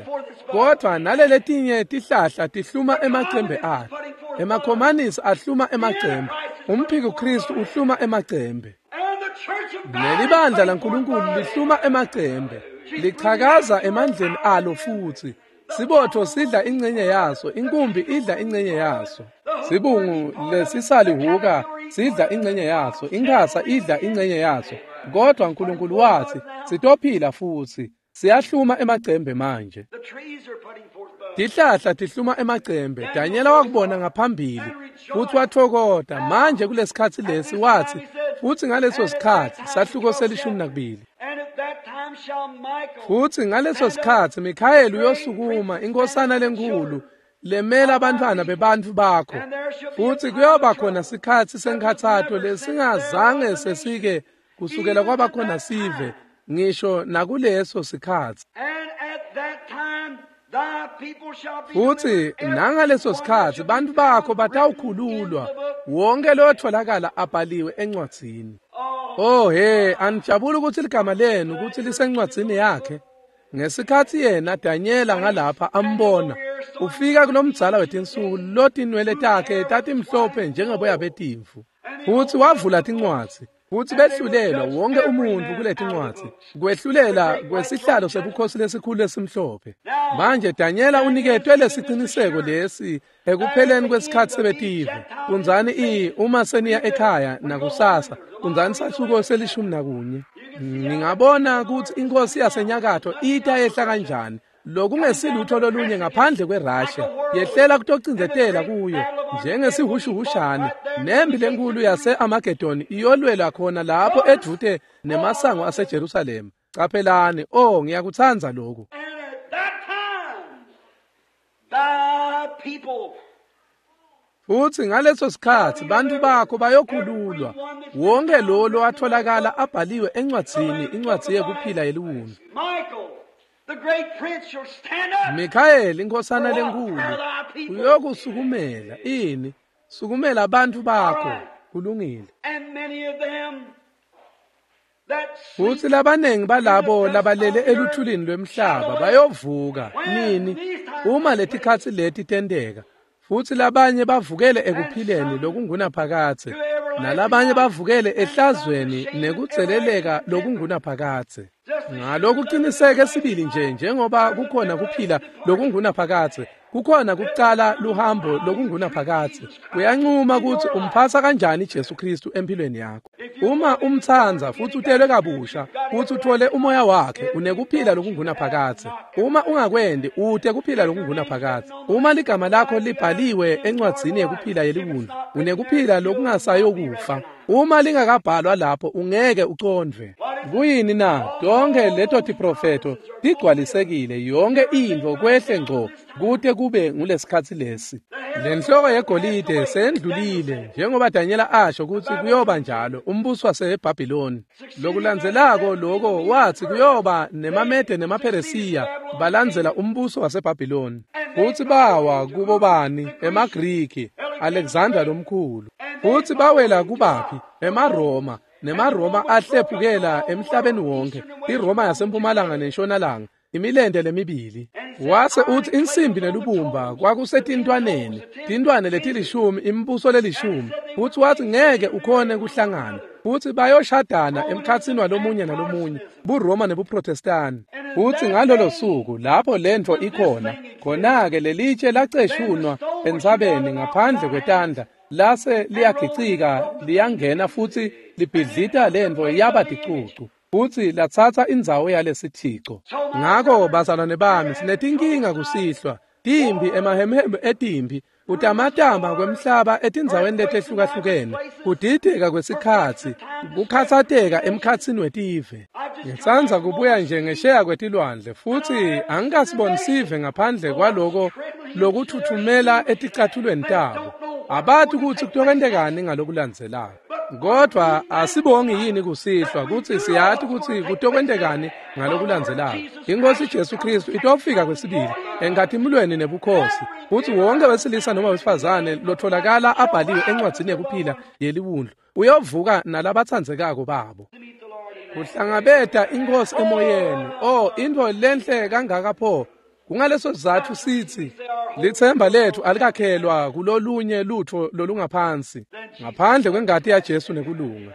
Speaker 1: kodvwa naleletinye tihlahla tihluma emacembe ato. Emakhomanisi ahluma emacembe. Umphiko Kristu uhluma emacembe.
Speaker 3: And the church of God.
Speaker 1: Nelibandla laNkulunkulu lihluma emacembe, lichakaza emandleni alo futhi. Sibotho sidla ingcenye yaso, inkumbi idla ingcenye yaso. Sibungu lesisalihuka sidla ingcenye yaso, inkhasa idla ingcenye yaso. Kodwa uNkulunkulu wathi, sitophila futhi. Siyahluma emacembe manje.
Speaker 3: The trees are putting forth buds.
Speaker 1: Tihlahla tihluma emacembe. Danyela wakubona ngaphambili futhi wathokota. Manje kulesikhatsi lesi wathi, futhi ngaleso sikhatsi sahluko selishumi nakubili.
Speaker 3: And at that time shall Michael
Speaker 1: Futhi ngaleso sikhatsi Mikhayeli uyosukuma, inkosana lenkulu lemela abantwana bebantfu bakho. Futhi kuyoba khona sikhatsi senkhatsato lesingazange sesike kusukela kwaba khona sive ngisho nakuleso sikhatsi.
Speaker 3: And at that time thy people shall be
Speaker 1: Futhi
Speaker 3: delivered,
Speaker 1: nangaleso
Speaker 3: every one
Speaker 1: sikhatsi
Speaker 3: that shall
Speaker 1: bantfu
Speaker 3: be
Speaker 1: bakho
Speaker 3: found
Speaker 1: batawukhululwa,
Speaker 3: written in the book.
Speaker 1: wonke lotholakala abhaliwe encwadzini.
Speaker 3: Oh,
Speaker 1: Oh he, anijabuli ukuthi ligama lenu ukuthi lisencwadzini yakhe. Ngesikhatsi yena Danyela ngalapha ambona, ufika kulomdzala wetinsuku lotinwele takhe tatimhlophe njengeboya betimvu. Futhi wavula tincwadzi, futhi behlulelwa wonke umuntfu kuletincwadzi, kwehlulela kwesihlalo sebukhosi lesikhulu lesimhlophe. Manje Danyela uniketwe lesiciniseko lesi ekupheleni kwesikhatsi sebetive. Fundzani i uma seniya ekhaya nakusasa, fundzani sahluko selishumi nakunye. Ningabona kutsi inkosi yasenyakatfo ita yehla kanjani. Lokungesilutho lolunye ngaphandle kweRussia yehlela kutocindzetela kuyo njengesihushuhushane. Nempi lenkulu yase-Armageddon iyolwela khona lapho edvute nemasango aseJerusalema. Caphelani, oh ngiyakutsandza lokhu.
Speaker 3: And at that time thy people
Speaker 1: Futhi ngaleso sikhatsi bantfu bakho bayokhululwa, wonke lo lowatholakala abhaliwe encwadzini, incwadzi yekuphila yeliwundlu.
Speaker 3: Michael, the great prince, shall stand up.
Speaker 1: Mikhayeli inkosana lenkulu uyokusukumela ini, sukumela bantfu bakho. Kulungile.
Speaker 3: And many of them that sleep
Speaker 1: Futhi labanengi balabo labalele eluthulini lwemhlaba bayovuka nini uma letikhatsi leti tenteka. Futhi labanye bavukele ekuphileni lokungunaphakadze, nalabanye bavukele ehlazweni nekudzeleleka lokungunaphakadze.
Speaker 3: Just
Speaker 1: Ngalokuqiniseke sibili nje njengoba kukhona kuphila lokungunaphakadze, kukhona kucala luhambo lokungunaphakadze. Uyancuma kutsi umphatsa kanjani Jesu Kristu empilweni yakho. Uma umtsandza futsi utelwe kabusha futsi uthole umoya wakhe, unekuphila lokungunaphakadze. Uma ungakwendi, ute kuphila lokungunaphakadze. Uma ligama lakho libhaliwe encwadzini yekuphila yeliwundlu, unekuphila lokungasayokufa. Uma lingakabhalwa lapho, ungeke ucondvwe. Kuyini na? Tonke leto tiprofetho tigcwalisekile, yonke intfo kwehle ngco kute kube ngulesikhatsi lesi. Lenhloko yegolide seyendlulile, njengoba Danyela asho kutsi kuyoba njalo, umbuso waseBhabhiloni. Lokulandzelako loko watsi kuyoba nemaMede nemaPheresiya balandzela umbuso waseBhabhiloni. Futsi bawa kubo bani? EmaGriki, Alexander lomkhulu. Futsi bawela kubaphi? EmaRoma. NemaRoma ahlephukela emhlabeni wonke, iRoma yasempumalanga nentshonalanga, imilente lemibili. Wase utsi insimbi nelubumba kwakusetintwaneni, tintwane letilishumi, imibuso lelishumi. Futsi watsi ngeke ukhone kuhlangana, futsi bayoshadana emkhatsini walomunye nalomunye, buRoma nebuProtestani. Futsi ngalolo suku lapho lentfo ikhona, khona-ke lelitshe laceshunwa entsabeni ngaphandle kwetandla, lase liyagicika liyangena futsi libhidlita lentfo yaba ticucu, futsi latsatsa indzawo yalesithico. Ngako bazalwane bami, sinetinkinga kusihlwa, timbi emahemheme etimbi, kutamatama kwemhlaba etindzaweni letehlukahlukene, kudideka kwesikhatsi, kukhatsateka emkhatsini wetive. Ngitsandza kubuya nje ngesheya kwetilwandle, futsi angikasiboni sive ngaphandle kwaloko lokuthuthumela eticathulweni tabo. Abati kutsi kutokwentekani ngalokulandzelako. Kodwa asibongi yini kusihlwa kutsi siyati kutsi kutokwentekani ngalokulandzelako. Inkosi Jesu Kristu itofika kwesibili enkatimulweni nebukhosi, futsi wonke wesilisa noma wesifazane lotholakala abhaliwe encwadzini yekuphila yeliwundlu uyovuka nalabatsandzekako babo. Kuhlangabeta inkosi emoyeni. Oh, intfo lenhle kangaka pho. Kungaleso sizatfu sitsi litsemba letfu alikakhelwa kulolunye lutfo lolungaphansi ngaphandle kwengati yaJesu nekulunga.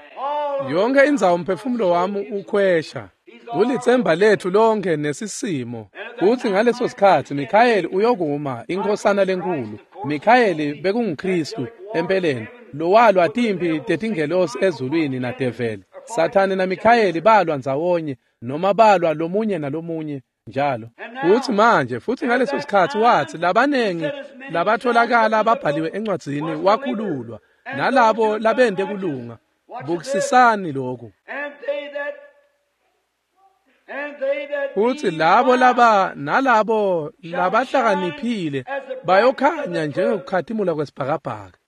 Speaker 1: Yonke indzawo umphefumulo wami ukhwesha. Kulitsemba letfu lonke nesisimo. Kutsi ngaleso sikhatsi Mikhayeli uyokuma, inkhosana lenkulu. Mikhayeli bekunguKristu empeleni, lowalwa timpi tetingelosi ezulwini nadeveli. Sathane naMikhayeli balwa ndzawonye, noma balwa lomunye nalomunye njalo. Futsi manje, futsi ngaleso sikhatsi watsi labanengi labatholakala babhaliwe encwadzini wakhululwa, nalabo labente kulunga. Bukisisani lokhu. Futsi labo laba nalabo labahlakaniphile bayokhanya njengekukhatimula kwesibhakabhaka.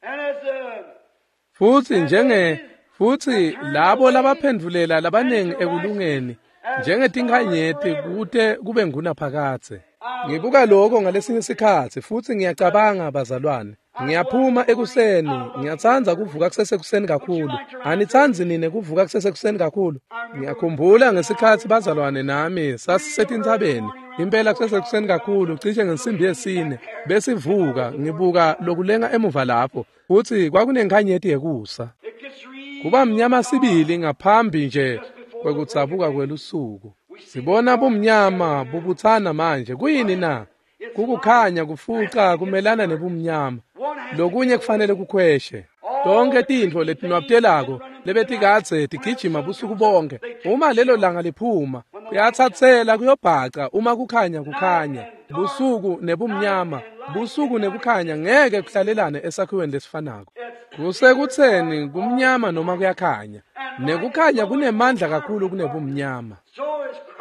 Speaker 1: Futsi njenge futsi labo labaphendvulela labanengi ekulungeni njengetinkhanyeti kute kube ngunaphakadze. Ngibuka lokho ngalesinye isikhatsi futsi ngiyacabanga, bazalwane. Ngiyaphuma ekuseni, ngiyatsandza kuvuka kusesekuseni kakhulu. Anitsandzi nine kuvuka kusesekuseni kakhulu? Ngiyakhumbula ngesikhatsi bazalwane nami sasisetintsabeni, impela kusesekuseni kakhulu, cishe ngensimbi yesine, besivuka ngibuka lokulenga emuva lapho, futsi kwakunenkhanyeti yekusa. Kuba mnyama sibili ngaphambi nje kwekudzabuka kwelusuku. Sibona bumnyama bubutsana manje. Kuyini na? Kukukhanya kufuca kumelana nebumnyama. Lokunye kufanele kukhweshe. Tonke tintfo letinwabtelako lebetikadze tigijima busuku bonke, uma lelo langa liphuma, kuyatsatsela kuyobhaca uma kukhanya kukhanya. Busuku nebumnyama, busuku nekukhanya ngeke kuhlalelane esakhiweni lesifanako. Kusekutseni kumnyama noma kuyakhanya. Nekukhanya kunemandla kakhulu kunebumnyama.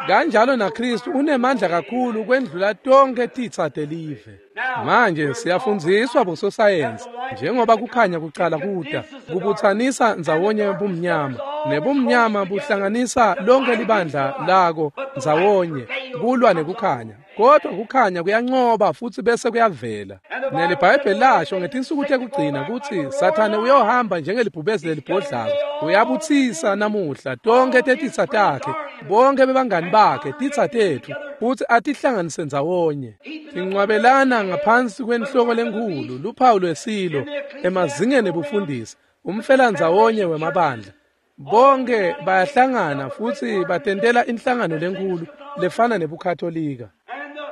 Speaker 1: Kanjalo naKristu unemandla kakhulu kwendlula tonke titsa telive. Manje siyafundziswa bososayensi njengoba kukhanya kucala kuta, kubutsanisa ndzawonye bumnyama, nebumnyama buhlanganisa lonke libandla lako ndzawonye kulwa nekukhanya. Kodwa kukhanya kuyancoba futsi bese kuyavela. NeliBhayibheli lasho ngetinsuku tekugcina kutsi Sathane uyohamba njengelibhubesi lelibhodlako. Uyabutsisa namuhla tonke tetitsa takhe, bonke bebangani bakhe, titsa tetfu, futsi atihlanganise ndzawonye. Tincwabelana ngaphansi kwenhloko lenkhulu, luphawu lwesilo, emazingeni ebufundisi, umfelandzawonye wemabandla. Bonke bayahlangana futsi batentela inhlangano lenkulu lefana nebuKatolika.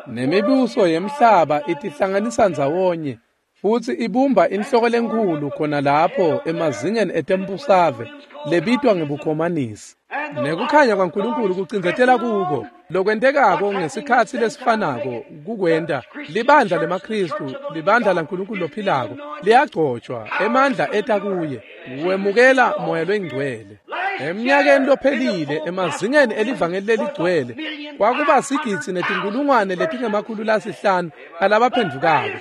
Speaker 1: Nemibuso yemhlaba itihlanganisa ndzawonye futsi ibumba inhloko lenkhulu khona lapho emazingeni etembusave lebitwa ngebukhomanisi. Nekukhanya kwaNkulunkulu kucindzetela kuko lokwentekako ngesikhatsi lesifanako kukwenta libandla lemaKhristu, libandla laNkulunkulu lophilako liyagcotshwa, emandla eta kuye, wemukela moya longcwele. Eminyakeni lophelile emazingeni elivangeli leligcwele kwakuba sigidzi netinkulungwane letingemakhulu lasihlanu alabaphendvukako.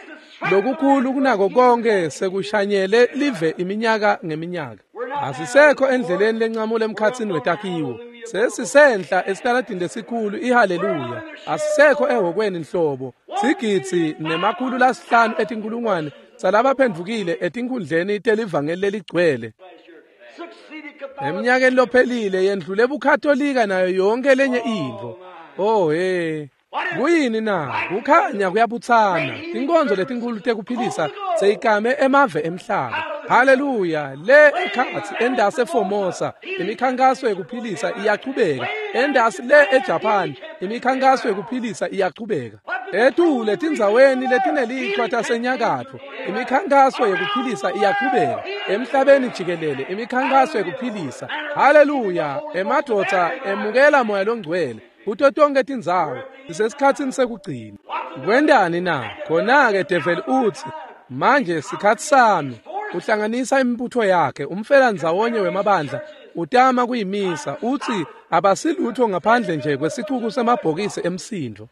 Speaker 1: Lokukhulu kunako konke sekushanyele live iminyaka ngeminyaka. Asisekho endleleni lencamule emkhatsini wetakhiwo. Sesisenhla esitaladini lesikhulu ihaleluya. Asisekho ehhokweni nhlobo. Sigidzi nemakhulu lasihlanu etinkulungwane salabaphendvukile etinkhundleni telivangeli leligcwele. Eminyakeni lophelile yendlule buKatolika nayo yonke lenye intfo. Oh he. Kuyini na? Kukhanya kuyabutsana. Tinkonzo letinkhulu tekuphilisa seyikame emave emhlaba. Haleluya! Le ekhatsi endase Formosa imikhankaso yekuphilisa iyachubeka. Endasi le eJapan imikhankaso yekuphilisa iyachubeka. Etule tindzaweni letinelichwa tasenyakatfo imikhankaso yekuphilisa iyachubeka. Emhlabeni jikelele imikhankaso yekuphilisa. Haleluya! Emadvodza emukela moya longcwele kuto tonke tindzawo. Sisesikhatsini sekugcina. Kwendani na? Khona-ke develi utsi manje sikhatsi sami. Uhlanganisa imibutho yakhe, umfela ndzawonye wemabandla, utama kuyimisa, utsi abasilutho ngaphandle nje kwesicuku semabhokisi emsindvo.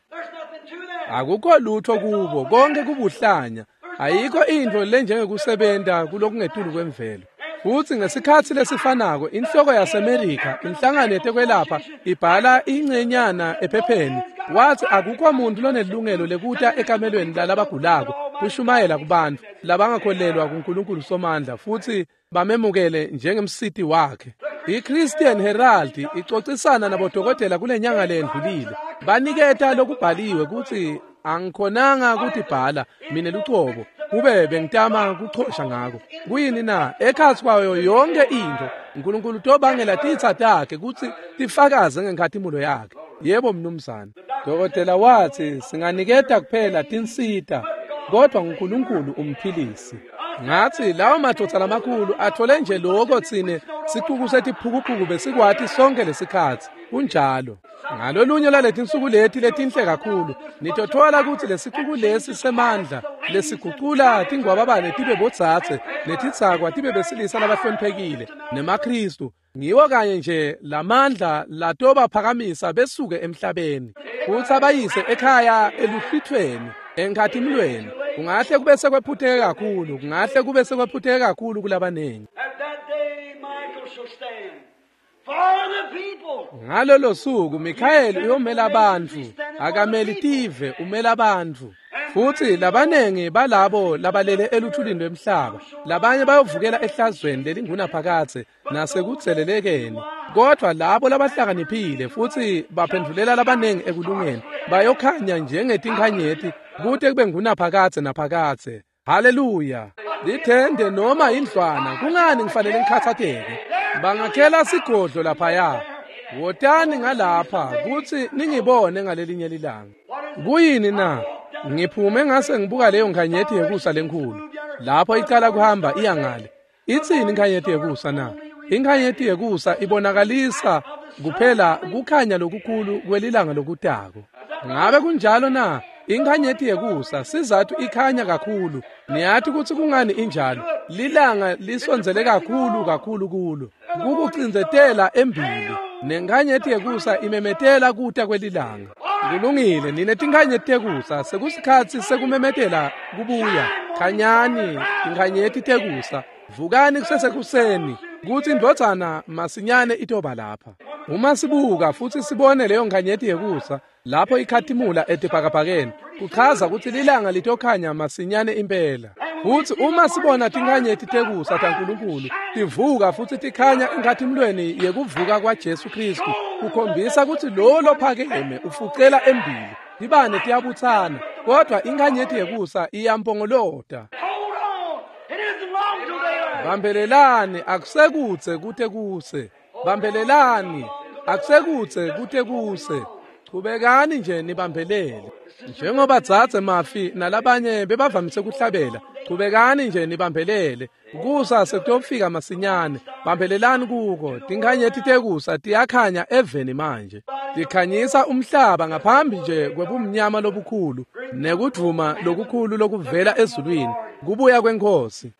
Speaker 1: Akukho lutho kubo, konke kubuhlanya. Ayikho intfo lenjengekusebenta kulokungetulu kwemvelo. Futsi ngesikhatsi lesifanako inhloko yaseMerika, inhlangano yetekwelapha, ibhala ingcenyana ephepheni wathi akukho muntu lonelungelo lekuta ekamelweni lalabagulako kushumayela kubantfu labangakholelwa kuNkulunkulu Somandla futsi bamemukele njengemsiti wakhe. I-Christian Herald icocisana nabodokotela kulenyanga lendlulile. Baniketa lokubhaliwe kutsi angikhonanga kutibhala mine lucobo kube bengitama kuchosha ngako. Kuyini na? Ekhatsi kwayo yonke intfo uNkulunkulu tobangela titsa takhe kutsi tifakaze ngenkhatimulo yakhe. Yebo mnumzane. Dokotela watsi singaniketa kuphela tinsita kodwa uNkulunkulu umphilisi. Ngathi lawo madvodza lamakhulu athole nje lokho tsine sicuku setiphukuphuku besikwati sonke lesikhatsi. Kunjalo. Ngalolunye laletinsuku leti letinhle kakhulu nitothola kutsi lesicuku lesi semandla lesigucula tingwababane tibe botsatse netitsakwa tibe besilisa labahloniphekile nemaKhristu ngiwo kanye nje lamandla latobaphakamisa besuke emhlabeni futsi abayise ekhaya eluhlwithweni enkhatimulweni. Kungahle kube sekwephutheke kakhulu, kungahle kube sekwephutheke kakhulu kulabanengi. Ngalolo suku Mikhayeli uyomela abantu, akameli tive, umela abantu. Futsi labanengi balabo labalele eluthulini lwemhlaba, labanye bayovukela ehlazweni lelingunaphakadze nasekudzelelekeni. Kodwa labo labahlakaniphile futsi baphendvulela labanengi ekulungeni bayokhanya njengetinkhanyeti kute kube ngunaphakadze naphakadze. Haleluya! Lithende noma indlwana, kungani ngifanele ngikhatsateke? Bangakhela sigodlo laphaya. Wotani ngalapha kutsi ningibone ngalelinye lilanga. Kuyini na? Ngiphume ngase ngibuka leyo nkhanyeti yekusa lenkhulu. Lapho icala kuhamba iya ngale. Itsini inkhanyeti yekusa na? Inkhanyeti yekusa ibonakalisa kuphela kukhanya lokukhulu kwelilanga lokutako. Ngabe kunjalo na? Inkhanyeti yekusa sizathu ikhanya kakhulu. Niyati kutsi kungani injalo? Lilanga lisondzele kakhulu kakhulu kulo. Kukucindzetela embili. Nenkhanyeti yekusa imemetela kuta kwelilanga. Kulungile, nine tinkhanyeti tekusa sekusikhatsi sekumemetela kubuya. Khanyani tinkhanyeti tekusa, vukani kusesekuseni kutsi indvodzana masinyane itoba lapha. Uma sibuka futsi sibone leyo nkhanyeti yekusa lapho ikhatimula etibhakabhakeni, kuchaza kutsi lilanga litokhanya masinyane impela. Futsi uma sibona tinkhanyeti tekusa taNkulunkulu tivuka futsi tikhanya enkhatimulweni yekuvuka kwaJesu Khristu, kukhombisa kutsi lowo lophakeme ufucela embili. Tibane tiyabutsana, kodwa inkhanyeti yekusa iyampongolota. Bambelelani, akusekudze kute kuse. Bambelelani, akusekudze kute kuse. Chubekani nje nibambelele. Njengoba dzadze Mafi nalabanye bebavamise kuhlabela, chubekani nje nibambelele. Kusa sekutofika masinyane. Bambelelani kuko. Tinkhanyeti tekusa tiyakhanya eveni manje. Tikhanyisa umhlaba ngaphambi nje kwebumnyama lobukhulu nekudvuma lokukhulu lokuvela ezulwini, kubuya kweNkhosi.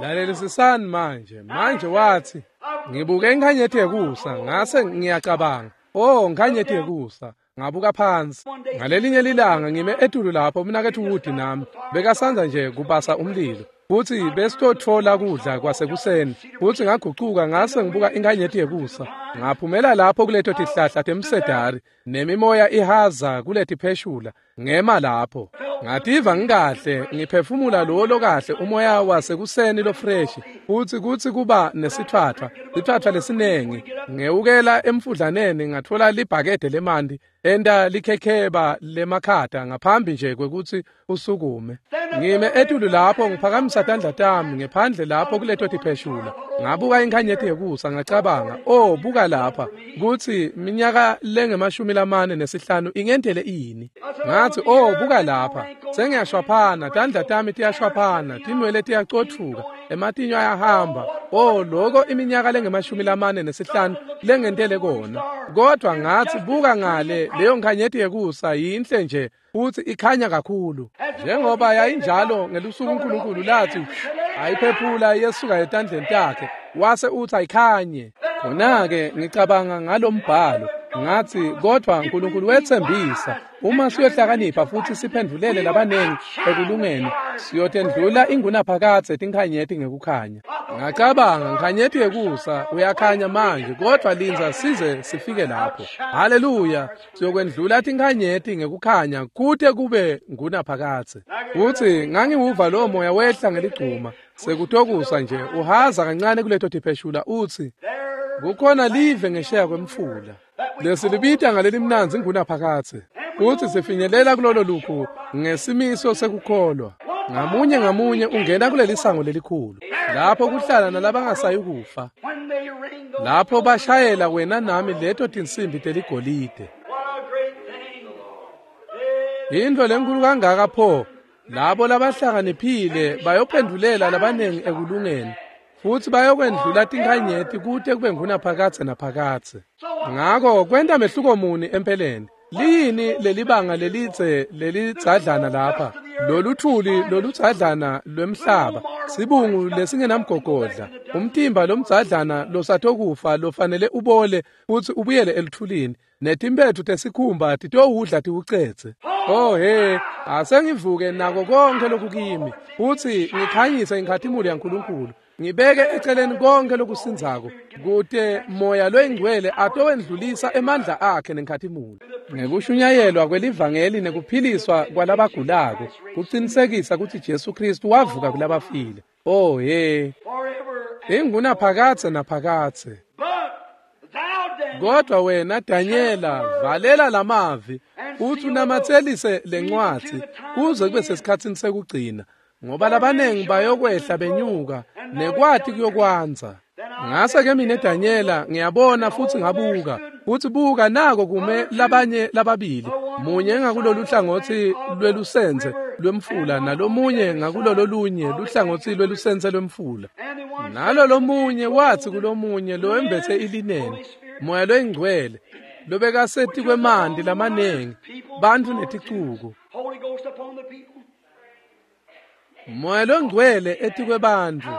Speaker 1: Lalelisisani manje. Manje wathi, ngibuke inkhanyeti yekusa ngase ngiyacabanga, oh nkhanyeti yekusa. Ngabuka phansi. Ngalelinye lilanga ngime etulu lapho umnaketfu Wood nami bekasandza nje kubasa umlilo, futsi besitotfola kudla kwasekuseni, futsi ngagucuka ngase ngibuka inkhanyeti yekusa. Ngaphumela lapho kuleto tihlahla temsedari nemimoya ihaza kuletipheshula. Ngema lapho ngativa ngikahle, ngiphefumula lowo lokahle umoya wasekuseni lofreshi, futsi kutsi kuba nesitfwatfwa, sitfwatfwa lesinengi. Ngewukela emfudlaneni ngatfola libhakede lemanti enta likhekheba lemakhata ngaphambi nje kwekutsi usukume. Ngime etulu lapho ngiphakamisa tandla tami ngephandle lapho kuleto tipheshula. Ngabuka inkhanyeti yekusa ngacabanga, oh buka lapha, kutsi minyaka lengemashumi lamane nesihlanu ingentele ini. Ngathi, oh buka lapha, sengiyashwaphana, tandla tami tiyashwaphana, tinwele tiyacotfuka, ematinyo ayahamba. Oh loko iminyaka lengemashumi lamane nesihlanu lengentele kona. Kodwa ngathi, buka ngale, leyo nkhanyeti yekusa yinhle nje futhi ikhanya kakhulu. Njengoba yayinjalo ngelusuku uNkulunkulu lathi ayiphephula yesuka etandleni takhe, wase uthi ayikhanye. Khona-ke ngicabanga ngalombhalo, ngathi kodwa uNkulunkulu wethembisa, uma siyohlakanipha futhi siphendulele labanengi ekulungeni, siyotendlula ingunaphakadze tinkhanyeti ngekukhanya. Ngacabanga, nkhanyeti yekusa uyakhanya manje, kodwa lindza size sifike lapho. Haleluya, siyokwendlula tinkhanyeti ngekukhanya kute kube ngunaphakadze. Futhi ngangiwuva lowo moya wehla ngeligcuma sekutokusa nje uhaza kancane kuleto tipheshula, uthi kukhona live ngesheya kwemfula lesilibita ngalelimnandzi ngunaphakadze, futhi sifinyelela kulolo lukhu ngesimiso sekukholwa. Ngamunye ngamunye ungena kuleli sango lelikhulu, lapho kuhlala nalabangasayi kufa, lapho bashayela wena nami leto tinsimbi teligolide. Yintfo lenkulu kangaka pho, labo labahlakaniphile bayophendulela labanengi ekulungeni, futhi bayokwendlula tinkhanyeti kute kube ngunaphakadze naphakadze. Ngako kwenta mehluko muni empeleni? Liyini lelibanga lelitse lelidzadlana lapha, loluthuli loludzadlana lwemhlaba, sibungu lesingenamgogodla, umtimba lomdzadlana losatokufa lofanele ubole futhi ubuyele eluthulini, netimpethu tesikhumba titowudla tiwucedze. Oh he, asengivuke nako konke lokukimi, futhi ngikhanyise inkhatimulo yaNkulunkulu, ngibeke eceleni konke lokusindzako, kute moya loyingcwele atowendlulisa emandla akhe nenkhatimulo. Ngekushunyayelwa kwelivangeli nekuphiliswa kwalabagulako, kucinisekisa kutsi Jesu Kristu wavuka kulabafile. Oh he, ingunaphakadze naphakadze. Kodwa wena Danyela, valela lamavi uthi unamatselise lencwadzi kuze kube sesikhatsini sekugcina, ngoba labanengi bayokwehla benyuka nekwati kuyokwandza. Ngase ke mina Danyela ngiyabona futhi ngabuka, futhi buka nako kume labanye lababili, munye ngakulolu hlangothi lwelusenze lwemfula nalomunye ngakulololunye luhlangotsi lwelusenze lwemfula. Nalo lomunye wathi kulomunye lowembethe ilineni, moya loyingcwele, lobekaseti kwemanti lamanengi, bantfu neticuku. Moya longcwele etikwebantfu.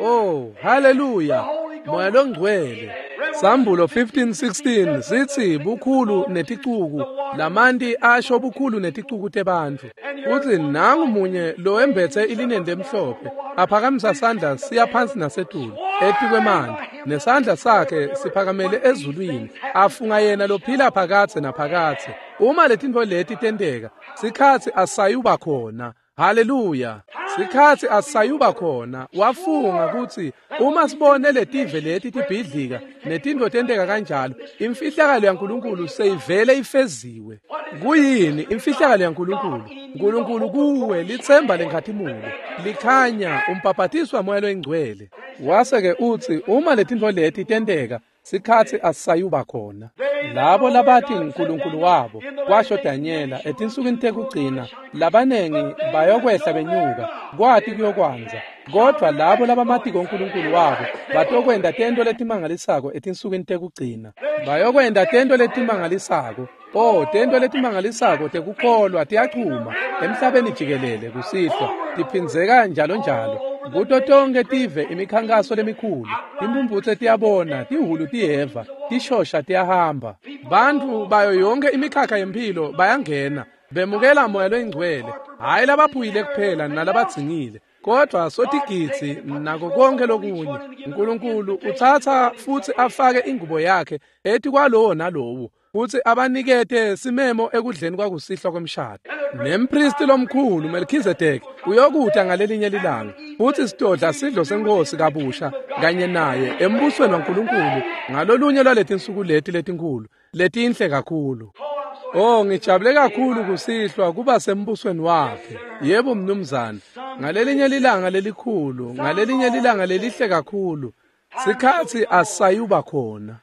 Speaker 1: Oh, haleluya! Moya longcwele. Sambulo fifteen sixteen sithi bukhulu neticuku, lamanti asho bukhulu neticuku tebantfu. Uthi nangu munye lowembethe ilineni lemhlophe, aphakamisa sandla siya phansi nasetulu etikwemanti, nesandla sakhe siphakamele ezulwini, afunga yena lophila phakadze naphakadze. Uma letintfo leti tenteka, sikhatsi asayuba khona. Haleluya! Sikhatsi asayuba khona. Wafunga kutsi uma sibone letive leti tibhidlika netintfo tenteka kanjalo, imfihlakalo yaNkulunkulu seyivele ifeziwe. Kuyini imfihlakalo yaNkulunkulu? Nkulunkulu kuwe litsemba lenkhatimulo, likhanya umbhabhatiswa moya loyingcwele. Wase ke utsi uma letintfo leti tenteka, Sikhatsi asisayuba khona. Labo labathi uNkulunkulu wabo, kwasho Danyela etinsukwini tekugcina, labanengi bayokwehla benyuka, kwati kuyokwanza. Kodwa labo labamatiko uNkulunkulu wabo batokwenta tento letimangalisako etinsukwini tekugcina. Bayokwenta tento letimangalisako. Oh, tento letimangalisako tekukholwa tiyachuma emhlabeni jikelele kusihlwa, tiphindzeka njalo njalo. Kuto tonke tive imikhankaso lemikhulu, timphumphutse tiyabona, tihhulu tiyeva, tishosha tiyahamba. Bantfu bayo yonke imikhakha yemphilo bayangena, bemukela Moya loyiNgcwele, hhayi labaphuyile kuphela nalabadzingile, kodwa sotigidzi nako konke lokunye. Nkulunkulu utsatsa futsi afake ingubo yakhe etikwalowo nalowo, futsi abanikete simemo ekudleni kwakusihlwa kwemshado. Nempristi lomkhulu Melchizedek uyokuta ngalelinye lilanga, futsi sitodla sidlo senkosi kabusha kanye naye embusweni waNkulunkulu ngalolunye lwaletinsuku leti letinkhulu letinhle kakhulu. Oh, ngijabule kakhulu kusihlwa kuba sembusweni wakhe. Yebo mnumzane, ngalelinye lilanga lelikhulu, ngalelinye lilanga lelihle kakhulu. Sikhatsi asayuba khona.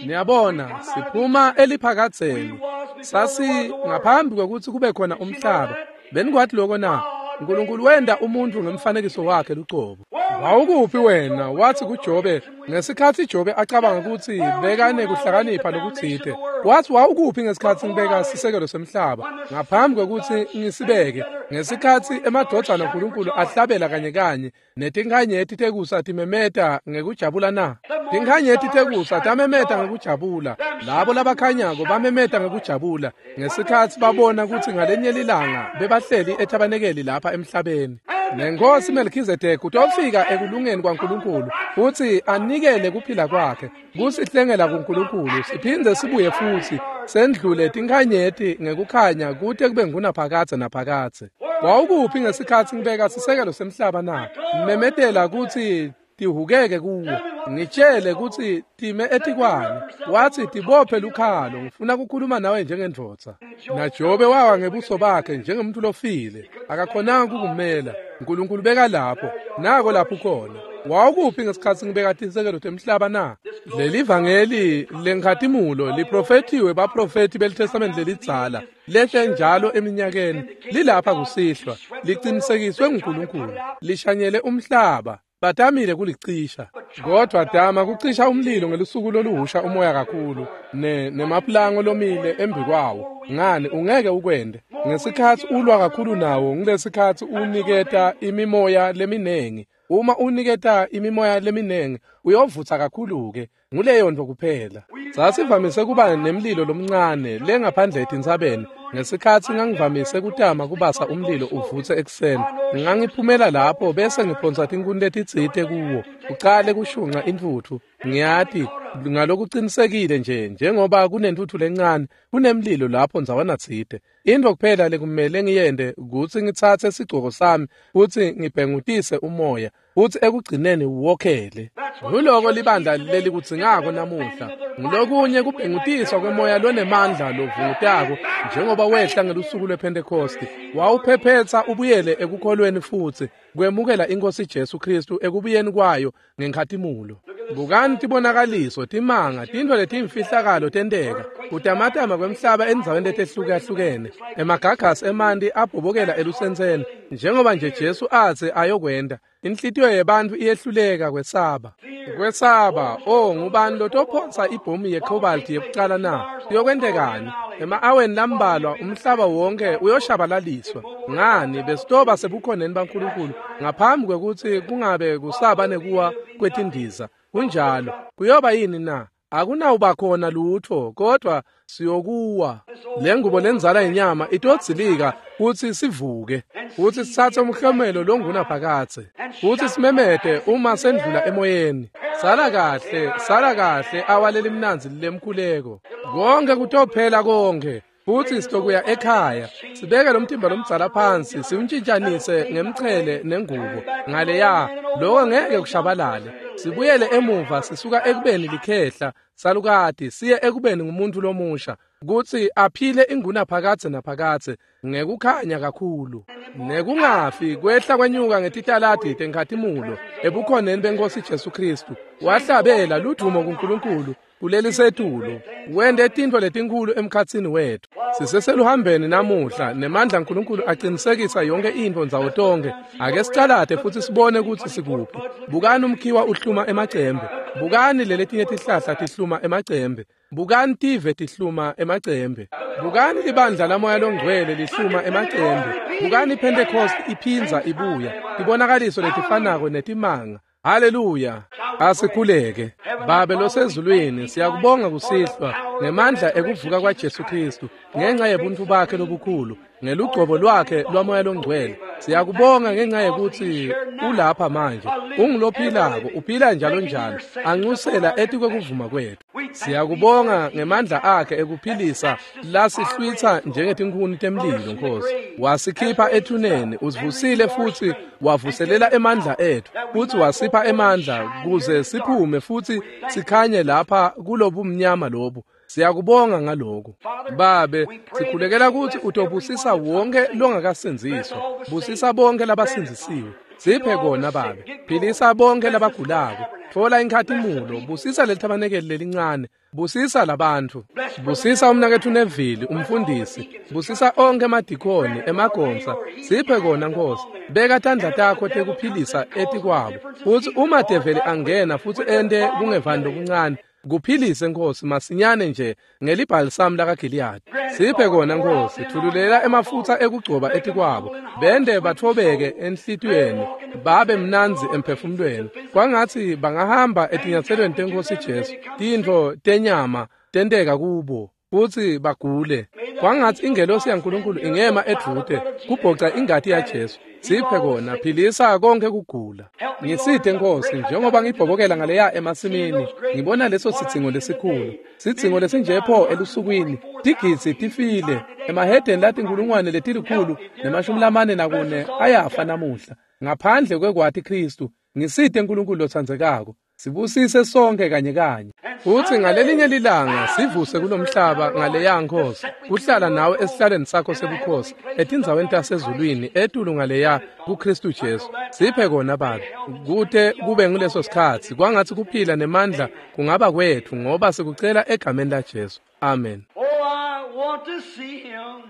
Speaker 1: Niyabona, siphuma eliphakadzeni. Sasi ngaphambi kwekutsi kube khona umhlaba. Benikwati lokho na? Nkulunkulu wenta umuntfu ngemfanekiso wakhe lucobo. Wawukuphi wena? Wathi kuJobe, ngesikhatsi Jobe acabanga kutsi bekanekuhlakanipha lokutsite. Wathi wawukuphi ngesikhatsi ngibeka sisekelo semhlaba ngaphambi kwekutsi ngisibeke, ngesikhatsi emadvodzana aNkulunkulu ahlabela kanye kanye netinkhanyeti tekusa timemeta ngekujabula na? Tinkhanyeti tekusa tamemeta ngekujabula, labo labakhanyako bamemeta ngekujabula ngesikhatsi babona kutsi ngalenye lilanga bebahleli ethabanekeli lapha emhlabeni. Nenkosi Melchizedek utofika ekulungeni kwaNkulunkulu futsi anikele kuphila kwakhe kusihlengela kuNkulunkulu, siphindze sibuye futsi sendlule tinkhanyeti ngekukhanya kute kube ngunaphakadze naphakadze. Wawukuphi ngesikhatsi ngibeka sisekelo semhlaba na? Memetela kutsi tihukeke kuwo, ngitshele kutsi time etikwani. Wathi tibophe lukhalo, ngifuna kukhuluma nawe njengendvodza. NaJobe wawa ngebuso bakhe njengomuntu lofile, akakhonanga kukumela. Nkulunkulu beka lapho, nako lapho khona. Wawukuphi ngesikhatsi ngibeka tisekelo temhlaba na? Leli vangeli lenkhatimulo liprofethiwe baprofethi beliTestamente lelidzala, lehle njalo eminyakeni, lilapha kusihlwa, liqinisekiswe nguNkulunkulu, lishanyele umhlaba. Batamile kulicisha, kodwa dama kucisha umlilo ngelusuku loluhusha umoya kakhulu ne nemaplango lomile embi kwawo. Ngani ungeke ukwende ngesikhatsi ulwa kakhulu nawo, ngilesikhatsi uniketa imimoya leminengi. Uma uniketa imimoya leminengi uyovutsa kakhulu ke, nguleyo nto kuphela. Sasivamise kuba nemlilo lomncane lengaphandle etintsabeni. Ngesikhatsi ngangivamise kutama kubasa umlilo uvutse ekuseni, ngangiphumela lapho bese ngiphonsa tinkhuni letitsite kuwo, ucale kushunqa intfutfu. Ngiyati ngalokuqinisekile nje njengoba kunentfutfu lencane kunemlilo lapho ndzawana tsite. Into kuphela lekumele ngiyente kutsi ngitsatse sigcoko sami futsi ngibhengutise umoya, futsi ekugcineni wokhele. Nguloko libandla lelikudzingako namuhla, ngulokunye kubhengutiswa kwemoya lonemandla lovungutako njengoba wehla ngelusuku lwePhentekosti, wawuphephetsa ubuyele ekukholweni futsi kwemukela iNkosi Jesu Kristu ekubuyeni kwayo ngenkhatimulo. Bukani tibonakaliso, timanga, tintfo letimfihlakalo tenteka, kutamatama kwemhlaba endzaweni letehlukahlukene, emagagasi emanti abhobokela elusentseni njengoba nje Jesu atsi ayokwenta. Inhlitiyo yebantfu iyehluleka kwesaba. Kwesaba, oh, ngubani lotophonsa ibhomu yecobalt yekucala na? Kuyokwentekani? Ema-aweni lambalwa umhlaba wonke uyoshabalaliswa. Ngani besitoba sebukhoneni baNkulunkulu ngaphambi kwekutsi kungabe kusaba nekuwa kwetindiza. Kunjalo. Kuyoba yini na? Akunawuba khona lutho, kodwa siyokuwa. Le ngubo lenzala inyama itodzilika kutsi sivuke, kutsi sitsatse umhlomelo longunaphakadze, kutsi simemete uma sendlula emoyeni. Sala kahle, sala kahle awaleli mnandzi lemkhuleko. Konke kutophela konke. Futsi sitokuya ekhaya, sibeke lo mtimba lomdzala phansi, siwuntshintshanise ngemchele nengubo. Ngaleya, lokho ngeke kushabalale. Sibuyele emuva sisuka ekubeni likhehla salukati siye ekubeni ngumuntu lomusha, kutsi aphile ingunaphakadze naphakadze ngekukhanya kakhulu. Nekungafi kwehla kwenyuka ngetitaladi tenkhatimulo ebukhoneni benkosi Jesu Kristu. Wahlabela ludumo kuNkulunkulu, kulelisetulu wente tintfo letinkhulu emkhatsini wetfu. Siseseluhambeni namuhla nemandla aNkulunkulu aqinisekisa yonke intfo ndzawo tonkhe. Ake sicalate futsi sibone kutsi sikuphi. Bukani umkhiwa uhluma emacembe, bukani leletinye tihlahla tihluma emacembe, bukani tive tihluma emacembe, bukani libandla lamoya longcwele lihluma emacembe, bukani iPentecost iphindza ibuya, tibonakaliso letifanako netimanga. Haleluya. Asikhuleke. Babe losezulwini, siyakubonga kusihlwa ngemandla ekuvuka kwaJesu Kristu, ngenxa yebuntu bakhe lobukhulu, ngelugcobo lwakhe lwamoya longcwele. Siyakubonga ngenxa yekuthi ulapha manje, ungulophilako, uphila njalo njalo, anxusela etikwekuvuma kwetfu. Siyakubonga ngemandla akhe ekuphilisa lasihlwitsa njengetinkhuni temlilo, Nkosi. Wasikhipha ethuneni, usivusile futsi wavuselela emandla etfu, futsi wasipha emandla kuze siphume futsi sikhanye lapha kulobumnyama lobu. Siyakubonga ngaloko. Babe, sikhulekela kutsi utobusisa wonke longakasindziswa, busisa bonke labasindzisiwe. Siphe kona Babe, philisa bonke labagulako, tfola inkhatimulo, busisa lelithabanekeli lelincane, busisa labantfu, busisa umnaketfu Neville umfundisi, busisa onke emadikoni emagonsa. Siphe kona Nkosi, beka tandla takho tekuphilisa etikwabo, futsi uma develi angena futsi ente kungevani lokuncane, kuphilise Nkosi masinyane nje ngelibhalisamu lakaGiliyadi. Siphe kona Nkosi, thululela emafutsa ekugcoba etikwabo, bende batfobeke enhlitiyweni, babe mnandzi emphefumulweni, kwangatsi bangahamba etinyatselweni tenkosi Jesu, tintfo tenyama tenteka kubo futsi bagule. Kwangatsi ingelosi yaNkulunkulu ingema edvute kubhoca ingati yaJesu. Siphe kona, philisa konke kugula. Ngisite Nkosi, njengoba ngibhobokela ngaleya emasimini, ngibona leso sidzingo lesikhulu, sidzingo lesinje pho elusukwini, tigidzi tifile, emahedeni latinkulungwane letilikhulu nemashumi lamane nakune ayafa namuhla, ngaphandle kwekwati Kristu. Ngisite Nkulunkulu lotsandzekako, sibusise sonke kanye kanye, futsi ngalelinye lilanga sivuse kulomhlaba ngaleya Nkosi, kuhlala nawe esihlalweni sakho sebukhosi etindzaweni tasezulwini etulu ngaleya kuKristu Jesu. Siphe kona Babe, kute kube nguleso sikhatsi, kwangatsi kuphila nemandla kungaba kwetfu, ngoba sikucela egameni laJesu. Amen.
Speaker 3: Oh, I want to see him.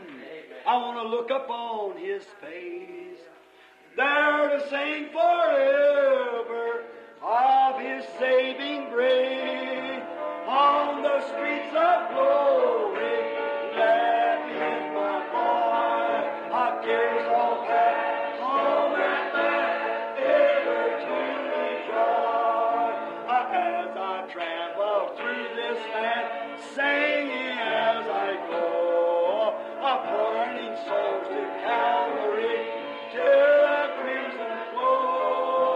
Speaker 3: I want to look upon his face. There to sing forever of his saving grace. On the streets of glory, let in my voice. I cares all past, home and back, ever to rejoice. As I travel through this land, singing as I go, pointing souls to Calvary, to the crimson flow.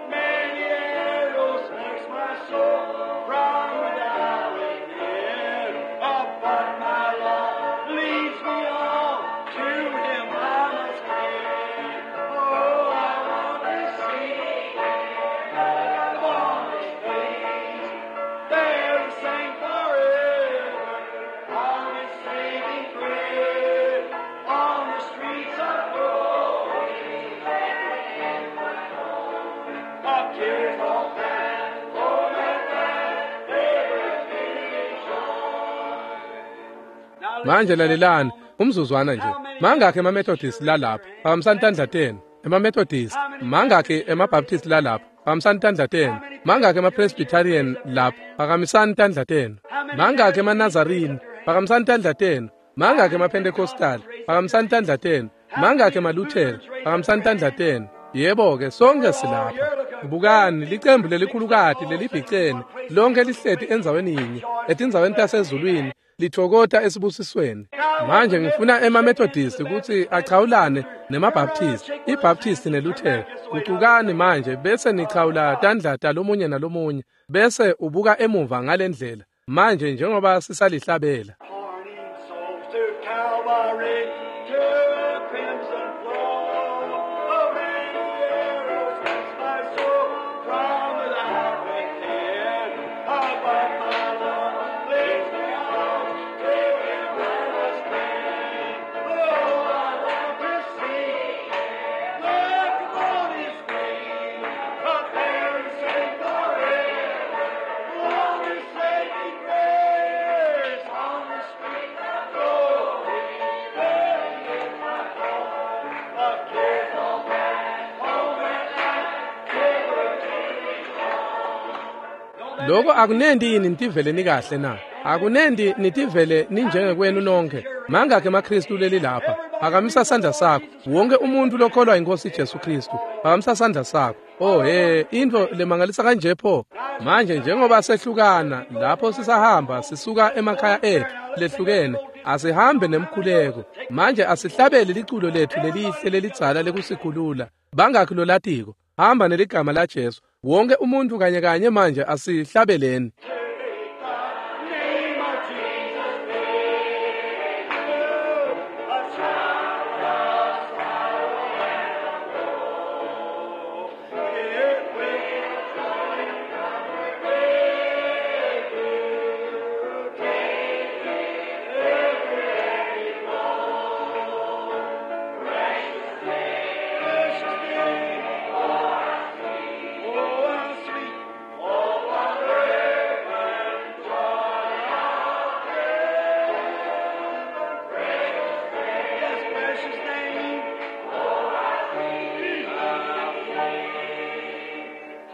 Speaker 3: Many arrows vex my soul from without within, but my love leads me on to him I must cling. Oh, I want to see him on his face, there to sing forever on his saving grace, on the streets of glory. Of tears all past, oh, that ever to rejoice.
Speaker 1: Manje lalelani umzuzwana nje. Mangakhi emaMethodist lalapha? Phakamisani tandla tenu. EmaMethodist. Mangakhi emaBaptist lalapha? Phakamisani tandla tenu. Mangakhi emaPresbyterian lapha? Phakamisani tandla tenu. Mangakhi emaNazarene? Phakamisani tandla tenu. Mangakhi emaPentecostal? Phakamisani tandla tenu. Mangakhi emaLuthela? Phakamisani tandla tenu. Yebo ke, sonke silapha. Bukani licembu lelikhulukati lelibhicene, lonke lihleti endzaweni yinye, etindzaweni tasezulwini, lithokota esibusisweni. Manje ngifuna emaMethodist kutsi achawulane nemaBaptist, iBaptist neLuthela. Gucukani manje bese nichawula tandla talomunye nalomunye, bese ubuka emuva ngalendlela. Manje njengoba sisalihlabela.
Speaker 3: Pointing souls to Calvary, to the crimson flow. Oh, many arrows vex my soul from without within. Oh, but my love leads me on to him I must cling. Oh, I want to see him, look upon his face, but there to sing forever on his saving
Speaker 1: Lokho akunendi yini nitivele nikahle na? Akunendi nitivele ninjengekwenu nonke. Mangakhi emaKristu leli lapha? Phakamisa sandla sakho. Wonke umuntu lokholwa inkosi Jesu Kristu, phakamisa sandla sakho. Oh he, into lemangalisa kanje pho. Manje njengoba sehlukana lapho sisahamba sisuka emakhaya ethu lehlukene, asihambe nemkhuleko. Manje asihlabele liculo lethu lelihle lelidzala lekusikhulula. Bangakhi lolatiko? Hamba neligama la Jesu. Wonke umuntu kanye kanye manje asihlabeleni.
Speaker 3: Name of Jesus, a it will precious name. Oh, how sweet. Oh, what fragrant joy of heaven. Yes, precious name. Oh, how sweet.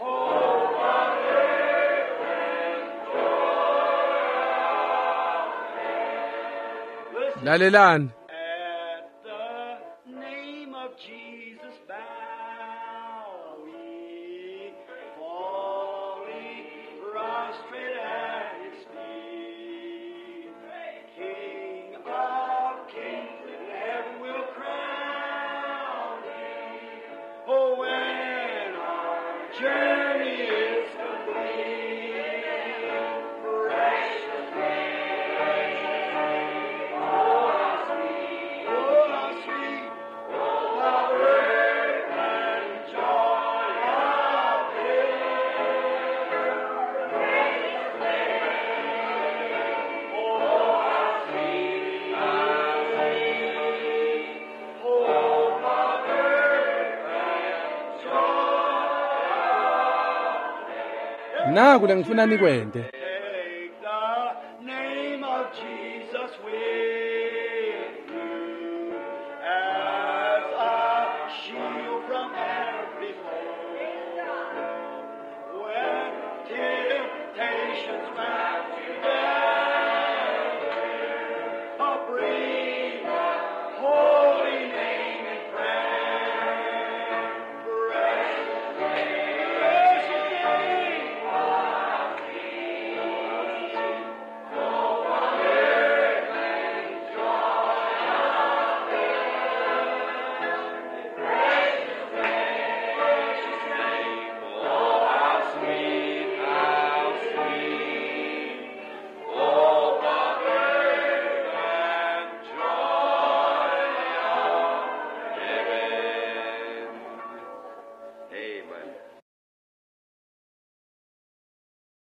Speaker 3: Oh, what fragrant joy of heaven. Listen.
Speaker 1: Lalelani.
Speaker 3: At the name of Jesus bow we, falling prostrate at his feet. King of kings, in heaven will crown him. Oh, when our journey is complete, precious name, precious name, oh, how sweet, oh, how sweet, oh, the fragrant joy of heaven. Precious name, oh, how sweet, how sweet, oh, the fragrant joy of
Speaker 1: Naku lengifuna nikwente.